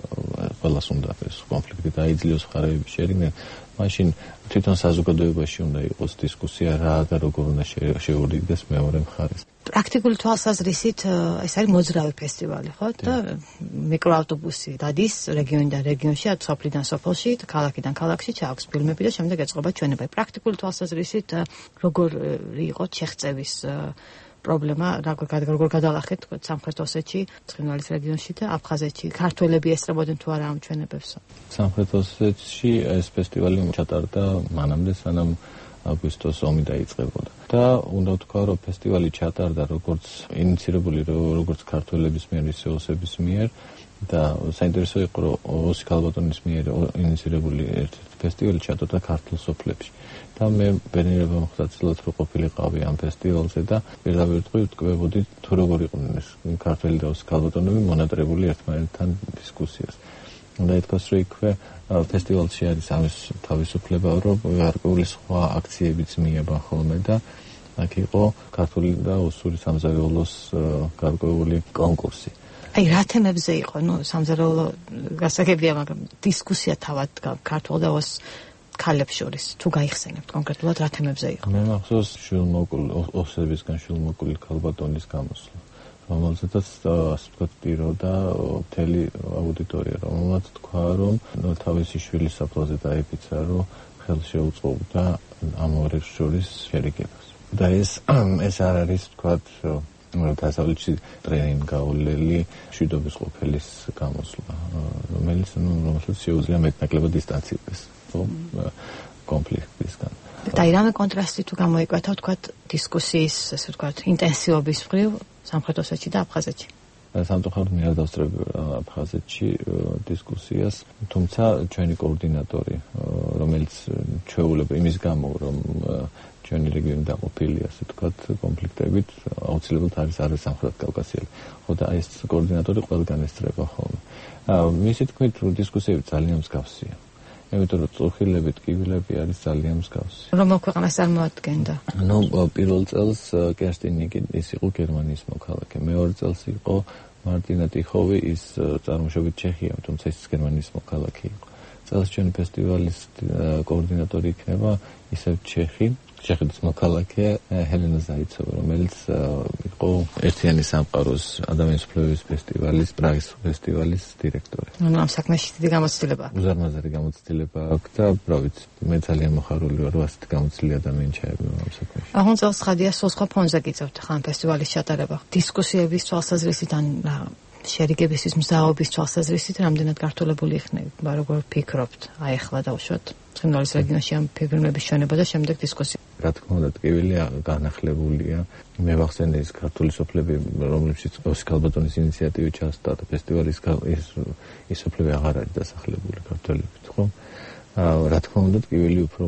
ყველას უნდა ეს კონფლიქტი დაიძლიოს მხარეები შერიგდნენ, მაშინ თვითონ საზოგადოებაში უნდა იყოს დისკუსია რა და როგორ უნდა შეურიგდეს მეორე მხარეს. პრაქტიკული თვალსაზრისით ეს არის მოძრავი ფესტივალი, ხო? და მიკროავტობუსი დადის რეგიონიდან რეგიონში, სოფლიდან სოფელში, ქალაქიდან ქალაქში ჩააქვს ფილმები და შემდეგ ეწყობა ჩვენება. პრაქტიკული თვალსაზრისით როგორ იყო შეღწევის პრობლემა, როგორ გადალახეთ სამხრეთ ოსეთში, ცხინვალის რეგიონში და აფხაზეთში. ქართველები ესწრებოდნენ თუ არა ამ ჩვენებებს? სამხრეთ ოსეთში ეს ფესტივალი ჩატარდა მანამდე, სანამ აგვისტოს ომი დაიწყებოდა. და უნდა ვთქვა, რომ ფესტივალი ჩატარდა როგორც ინიცირებული როგორც ქართველების მიერ, ისე ოსების მიერ და საინტერესო იყო, რომ ოსი ქალბატონის მიერ ინიცირებული ერთ ფესტივალი ჩატარდა ქართულ სოფლებში. და მე ბედნიერება მოხდა ცდილობთ, რომ ყოფილიყავი ამ ფესტივალზე და პირდაპირ ვტყვევოდი თუ როგორ იყვნენ ეს ქართველი და ოსი ქალბატონები მონატრებული ერთმანეთთან დისკუსიას. უნდა ითქვას, რომ იქვე ფესტივალში არის ამის თავისუფლება, რომ გარკვეული სხვა აქციებიც მიება ხოლმე და აქ იყო ქართული და ოსური სამზარეულოს გარკვეული კონკურსი. აი რა თემებზე იყო, ну, სამზარეულო გასაგებია, მაგრამ დისკუსია თავად ქართულ და ოს ქალებს შორის თუ გაიხსენებთ კონკრეტულად რა თემებზე იყო? მე მახსოვს შვილმოკლ ოსებისგან შვილმოკლი ქალბატონის გამოსვლა, რომელზედაც ასე ვთქვათ ტიროდა მთელი აუდიტორია, რომელმაც თქვა, რომ თავისი შვილის საფლაზე დაიფიცა, რომ ხელს შეუწყობდა ამ ორ შორის შერიგებას. და ეს ეს არ არის ვთქვათ დასავლეთში ტრენინგ გაოლელი მშვიდობის ყოფილის გამოსვლა, რომელიც რომელსაც შეუძლია მეტნაკლებად დისტანცირდეს კონფლიქტისგან. და ირამე კონტრასტი თუ გამოიკვეთა ვთქვათ დისკუსიის, ასე ვთქვათ, ინტენსივობის მხრივ სამხრეთ ოსეთში და აფხაზეთში. სამწუხაროდ მე არ დავსწრებ აფხაზეთში დისკუსიას, თუმცა ჩვენი კოორდინატორი, რომელიც ჩვეულება იმის გამო, რომ ჩვენი რეგიონი დაყოფილია, ასე ვთქვათ, კონფლიქტებით, აუცილებლად არის არის სამხრეთ კავკასიელი. ხო და ეს კოორდინატორი ყველგან ესწრება ხოლმე. მისი თქმით, დისკუსიები ძალიან მსგავსია. იმიტომ რომ წუხილები, ტკივილები არის ძალიან მსგავსი. რომელ ქვეყანას წარმოადგენდა? ნუ პირველ წელს კერსტინიკი ის იყო გერმანიის მოქალაქე. მეორე წელს იყო მარტინა ტიხოვი, ის წარმოშობით ჩეხია, თუმცა ის გერმანიის მოქალაქე იყო. წელს ჩვენი ფესტივალის კოორდინატორი იქნება ისევ ჩეხი, ჩეხეთის მოქალაქე ჰელენა ზაიცოვა, რომელიც იყო ერთიანი სამყაროს ადამიანის უფლებების ფესტივალის, პრაღის ფესტივალის დირექტორი. ანუ ამ საქმეში დიდი გამოცდილება. უზარმაზარი გამოცდილება აქვს და რა ვიცი, მე ძალიან მოხარული ვარ, რომ ასეთი გამოცდილი ადამიანი ჩაებია ამ საქმეში. აღონ წელს ხადია სულ სხვა ფონზე გიწევთ ხან ფესტივალის ჩატარება. დისკუსიების თვალსაზრისით ან შერიგებისთვის მზაობის თვალსაზრისით რამდენად გართულებული იქნება, როგორ ფიქრობთ? აი ახლა დავუშვათ ცხინვალის რეგიონში ამ ფილმების ჩვენება და შემდეგ დისკუსია. რა თქმა უნდა, ტკივილი განახლებულია. მე ვახსენე ის ქართული სოფლები, რომლებშიც ოსკარ ბატონის ინიციატივით ჩასტარდა ფესტივალის ის სოფლები აღარ არის დასახლებული ქართველებით, ხო? რა თქმა უნდა, ტკივილი უფრო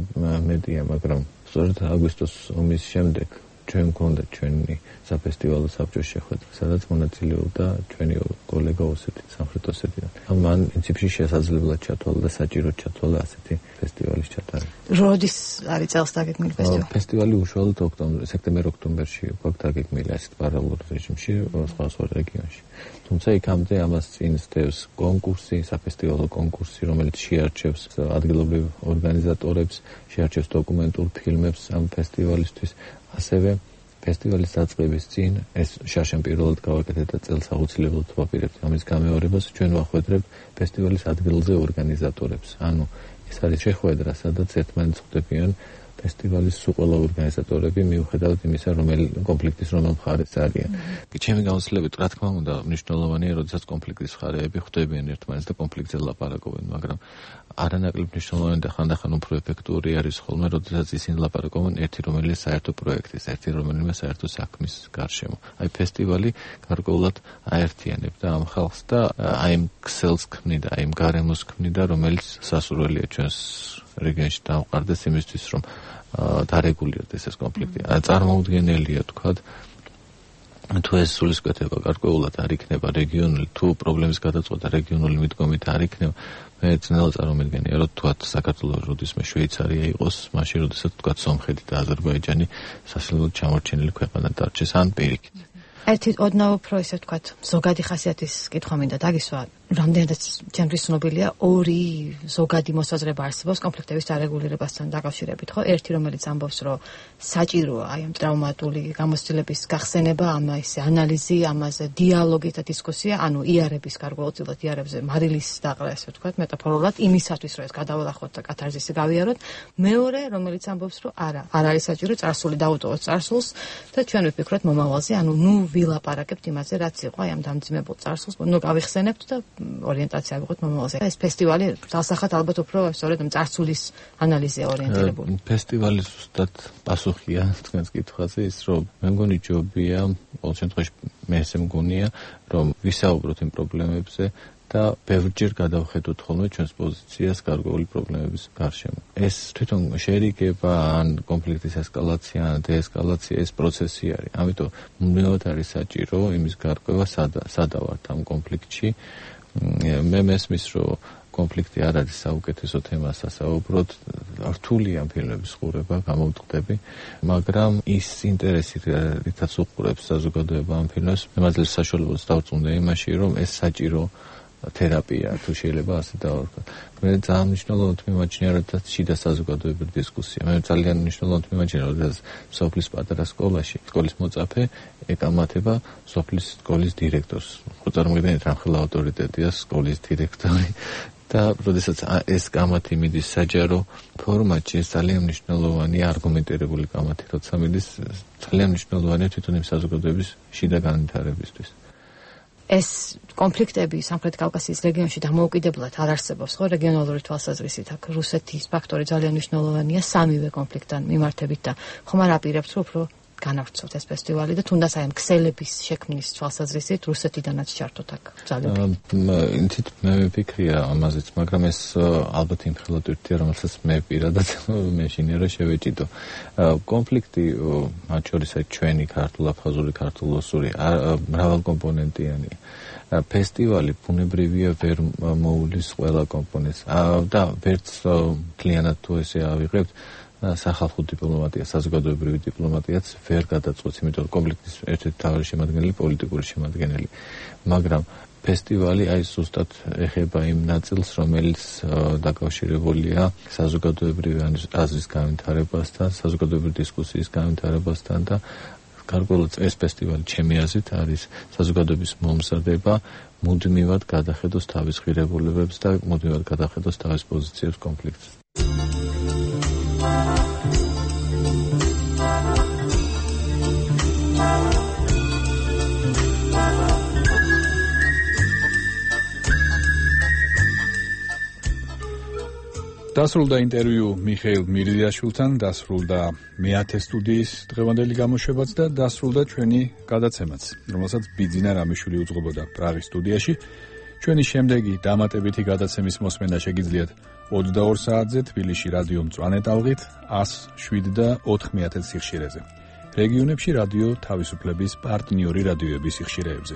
მეტია, მაგრამ სწორედ აგვისტოს ომის შემდეგ ჩვენ გვქონდა ჩვენი საფესტივალო საბჭოს შეხვედრა, სადაც მონაწილეობდა ჩვენი კოლეგა ოსეთის, სამხრეთ ოსეთიდან. მან პრინციპში შესაძლებლად ჩათვალა და საჭიროდ ჩათვალა ასეთი ფესტივალის ჩატარება. როდის არის წელს დაგეგმილი ფესტივალი? ფესტივალი უშუალოდ ოქტომბერ, სექტემბერ-ოქტომბერში გვაქვს დაგეგმილი ასეთ პარალელურ რეჟიმში სხვა სხვა რეგიონში. თუმცა იქამდე ამას წინ სდევს კონკურსი, საფესტივალო კონკურსი, რომელიც შეარჩევს ადგილობრივ ორგანიზატორებს, შეარჩევს დოკუმენტურ ფილმებს ამ ფესტივალისთვის. ასევე ფესტივალის დაწყების წინ ეს შარშან პირველად გავაკეთეთ და წელს აუცილებლად ვაპირებთ ამის გამეორებას, ჩვენ ვახვედრებთ ფესტივალის ადგილზე ორგანიზატორებს. ანუ ეს არის შეხვედრა, სადაც ერთმანეთს ხვდებიან ფესტივალის სულ ყველა ორგანიზატორები, მიუხედავად იმისა, რომელი კონფლიქტის რომელ მხარეს არიან. ჩემი გამოცდილებით, რა თქმა უნდა, მნიშვნელოვანია, როდესაც კონფლიქტის მხარეები ხვდებიან ერთმანეთს და კონფლიქტზე ლაპარაკობენ, მაგრამ არანაკლებ მნიშვნელოვანი და ხანდახან უფრო ეფექტური არის ხოლმე, როდესაც ისინი ლაპარაკობენ ერთი რომელიმე საერთო პროექტის, ერთი რომელიმე საერთო საქმის გარშემო. აი ფესტივალი გარკვეულად აერთიანებდა ამ ხალხს და აი იმ ქსელს ქმნიდა, აი იმ გარემოს ქმნიდა, რომელიც სასურველია ჩვენს რეგიონში დავყარდეს იმისთვის, რომ დარეგულირდეს ეს კონფლიქტი. წარმოუდგენელია თქვათ, თუ ეს სულისკვეთება გარკვეულად არ იქნება რეგიონული, თუ პრობლემის გადაწყვეტა რეგიონული მიდგომით არ იქნება, მე ძნელად წარმოვიდგენია, რომ თქვათ საქართველოს როდისმე შვეიცარია იყოს, მაშინ როდესაც თქვათ სომხეთი და აზერბაიჯანი სასილოდ ჩამორჩენილი ქვეყანა დარჩეს ან პირიქით. ერთი ოდნავ უფრო ისე ვთქვათ, ზოგადი ხასიათის კითხვა მინდა დაგისვა. რამდენადაც ჩემთვის ცნობილია, ორი ზოგადი მოსაზრება არსებობს კონფლიქტების დარეგულირებასთან დაკავშირებით, ხო? ერთი, რომელიც ამბობს, რომ საჭიროა აი ამ ტრავმატული გამოცდილების გახსენება, ამაზე ანალიზი, ამაზე დიალოგი და დისკუსია, ანუ იარების გარკვეულწილად იარებზე მარილის დაყრა, ესე ვთქვათ, მეტაფორულად იმისათვის, რომ ეს გადავალახოთ და კათარზისი გავიაროთ. მეორე, რომელიც ამბობს, რომ არა, არ არის საჭირო წარსული დაუტოვოთ წარსულს და ჩვენ ვფიქროთ მომავალზე, ანუ ნუ ვილაპარაკებთ იმაზე, რაც იყო აი ამ დამძიმებულ წარსულს, ნუ გავიხსენებთ და ორიენტაცია ვიღოთ მომავალზე. ეს ფესტივალი დასახად ალბათ უფრო სწორედ წარსულის ანალიზია ორიენტირებული. ფესტივალი ზუსტად პასუხია თქვენს კითხვაზე ის, რომ მე მგონი ჯობია, ყოველ შემთხვევაში მე ესე მგონია, რომ ვისაუბროთ იმ პრობლემებზე და ბევრჯერ გადავხედოთ ხოლმე ჩვენს პოზიციას გარკვეული პრობლემების გარშემო. ეს თვითონ შერიგება ან კონფლიქტის ესკალაცია ან დეესკალაცია ეს პროცესი არის. ამიტომ მუდმივად არის საჭირო იმის გარკვევა სადა ვართ ამ კონფლიქტში. მე მესმის, რომ კონფლიქტი არ არის საუკეთესო თემა სასაუბროდ, რთულია ფილმების ყურება, გამოვტყდები, მაგრამ ის ინტერესი, რითაც უყურებს საზოგადოება ამ ფილმებს, მემაძლევს საშუალებას დავწუნდა იმაში, რომ ეს საჭირო თერაპია, თუ შეიძლება ასე დავარქვა. მე ძალიან მნიშვნელოვნად მიმაჩნია, როდესაც შიდა საზოგადოებრივი დისკუსია. მე ძალიან მნიშვნელოვნად მიმაჩნია, როდესაც სოფლის პატარა სკოლაში, სკოლის მოწაფე ეკამათება სოფლის სკოლის დირექტორს. ხო წარმოგიდგენთ, რამხელა ავტორიტეტია სკოლის დირექტორი. და როდესაც ეს კამათი მიდის საჯარო ფორმატში, ეს ძალიან მნიშვნელოვანია არგუმენტირებული კამათი, როცა მიდის ძალიან მნიშვნელოვანია თვითონ იმ საზოგადოების შიდა განვითარებისთვის. ეს კონფლიქტები სამხრეთ კავკასიის რეგიონში დამოუკიდებლად არ არსებობს, ხო, რეგიონალური თვალსაზრისით. აქ რუსეთის ფაქტორი ძალიან მნიშვნელოვანია სამივე კონფლიქტთან მიმართებით და ხომ არ აპირებთ, რომ უფრო განავრცოთ ეს ფესტივალი და თუნდაც აი ამ ქსელების შექმნის თვალსაზრისით რუსეთიდანაც ჩართოთ აქ ძალები. ინცით მე ვფიქრია ამაზეც, მაგრამ ეს ალბათ იმ ხელად ერთია, რომელსაც მე პირადად მე შინიერო შევეჭიდო. კონფლიქტი მათ შორის აი ჩვენი ქართულ-აფხაზური, ქართულ-ოსური მრავალკომპონენტიანი ფესტივალი ბუნებრივია ვერ მოულის ყველა კომპონენტს და ვერც მთლიანად თუ ესე ავიღებთ სახალხო დიპლომატია, საზოგადოებრივი დიპლომატიაც ვერ გადაწყვეტს, იმიტომ რომ კონფლიქტის ერთ-ერთი მთავარი შემადგენელი პოლიტიკური შემადგენელი. მაგრამ ფესტივალი აი ზუსტად ეხება იმ ნაწილს, რომელიც დაკავშირებულია საზოგადოებრივი აზრის განვითარებასთან, საზოგადოებრივი დისკუსიის განვითარებასთან და გარკვეულად ეს ფესტივალი ჩემი აზრით არის საზოგადოების მომზადება მუდმივად გადახედოს თავის ღირებულებებს და მუდმივად გადახედოს თავის პოზიციებს კონფლიქტზე. დასრულდა ინტერვიუ მიხეილ მირზიაშვილთან, დასრულდა მეათე სტუდიის დღევანდელი გამოშვებაც და დასრულდა ჩვენი გადაცემაც, რომელსაც ბიძინა რამიშვილი უძღვებოდა პრაღის სტუდიაში. ჩვენი შემდეგი დამატებითი გადაცემის მოსმენა შეგიძლიათ ოცდაორ საათზე თბილისში რადიო მწვანე ტალღით ათს შვიდ და ოთხ მეათე სიხშირეზე. რეგიონებში რადიო თავისუფლების პარტნიორი რადიოების სიხშირეებზე.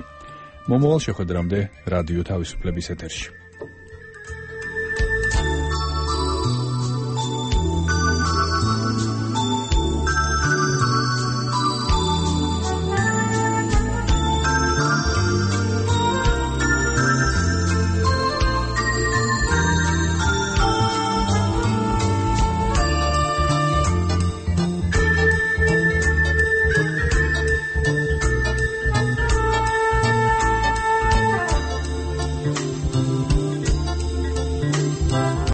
მომავალ შეხვედრამდე რადიო თავისუფლების ეთერში.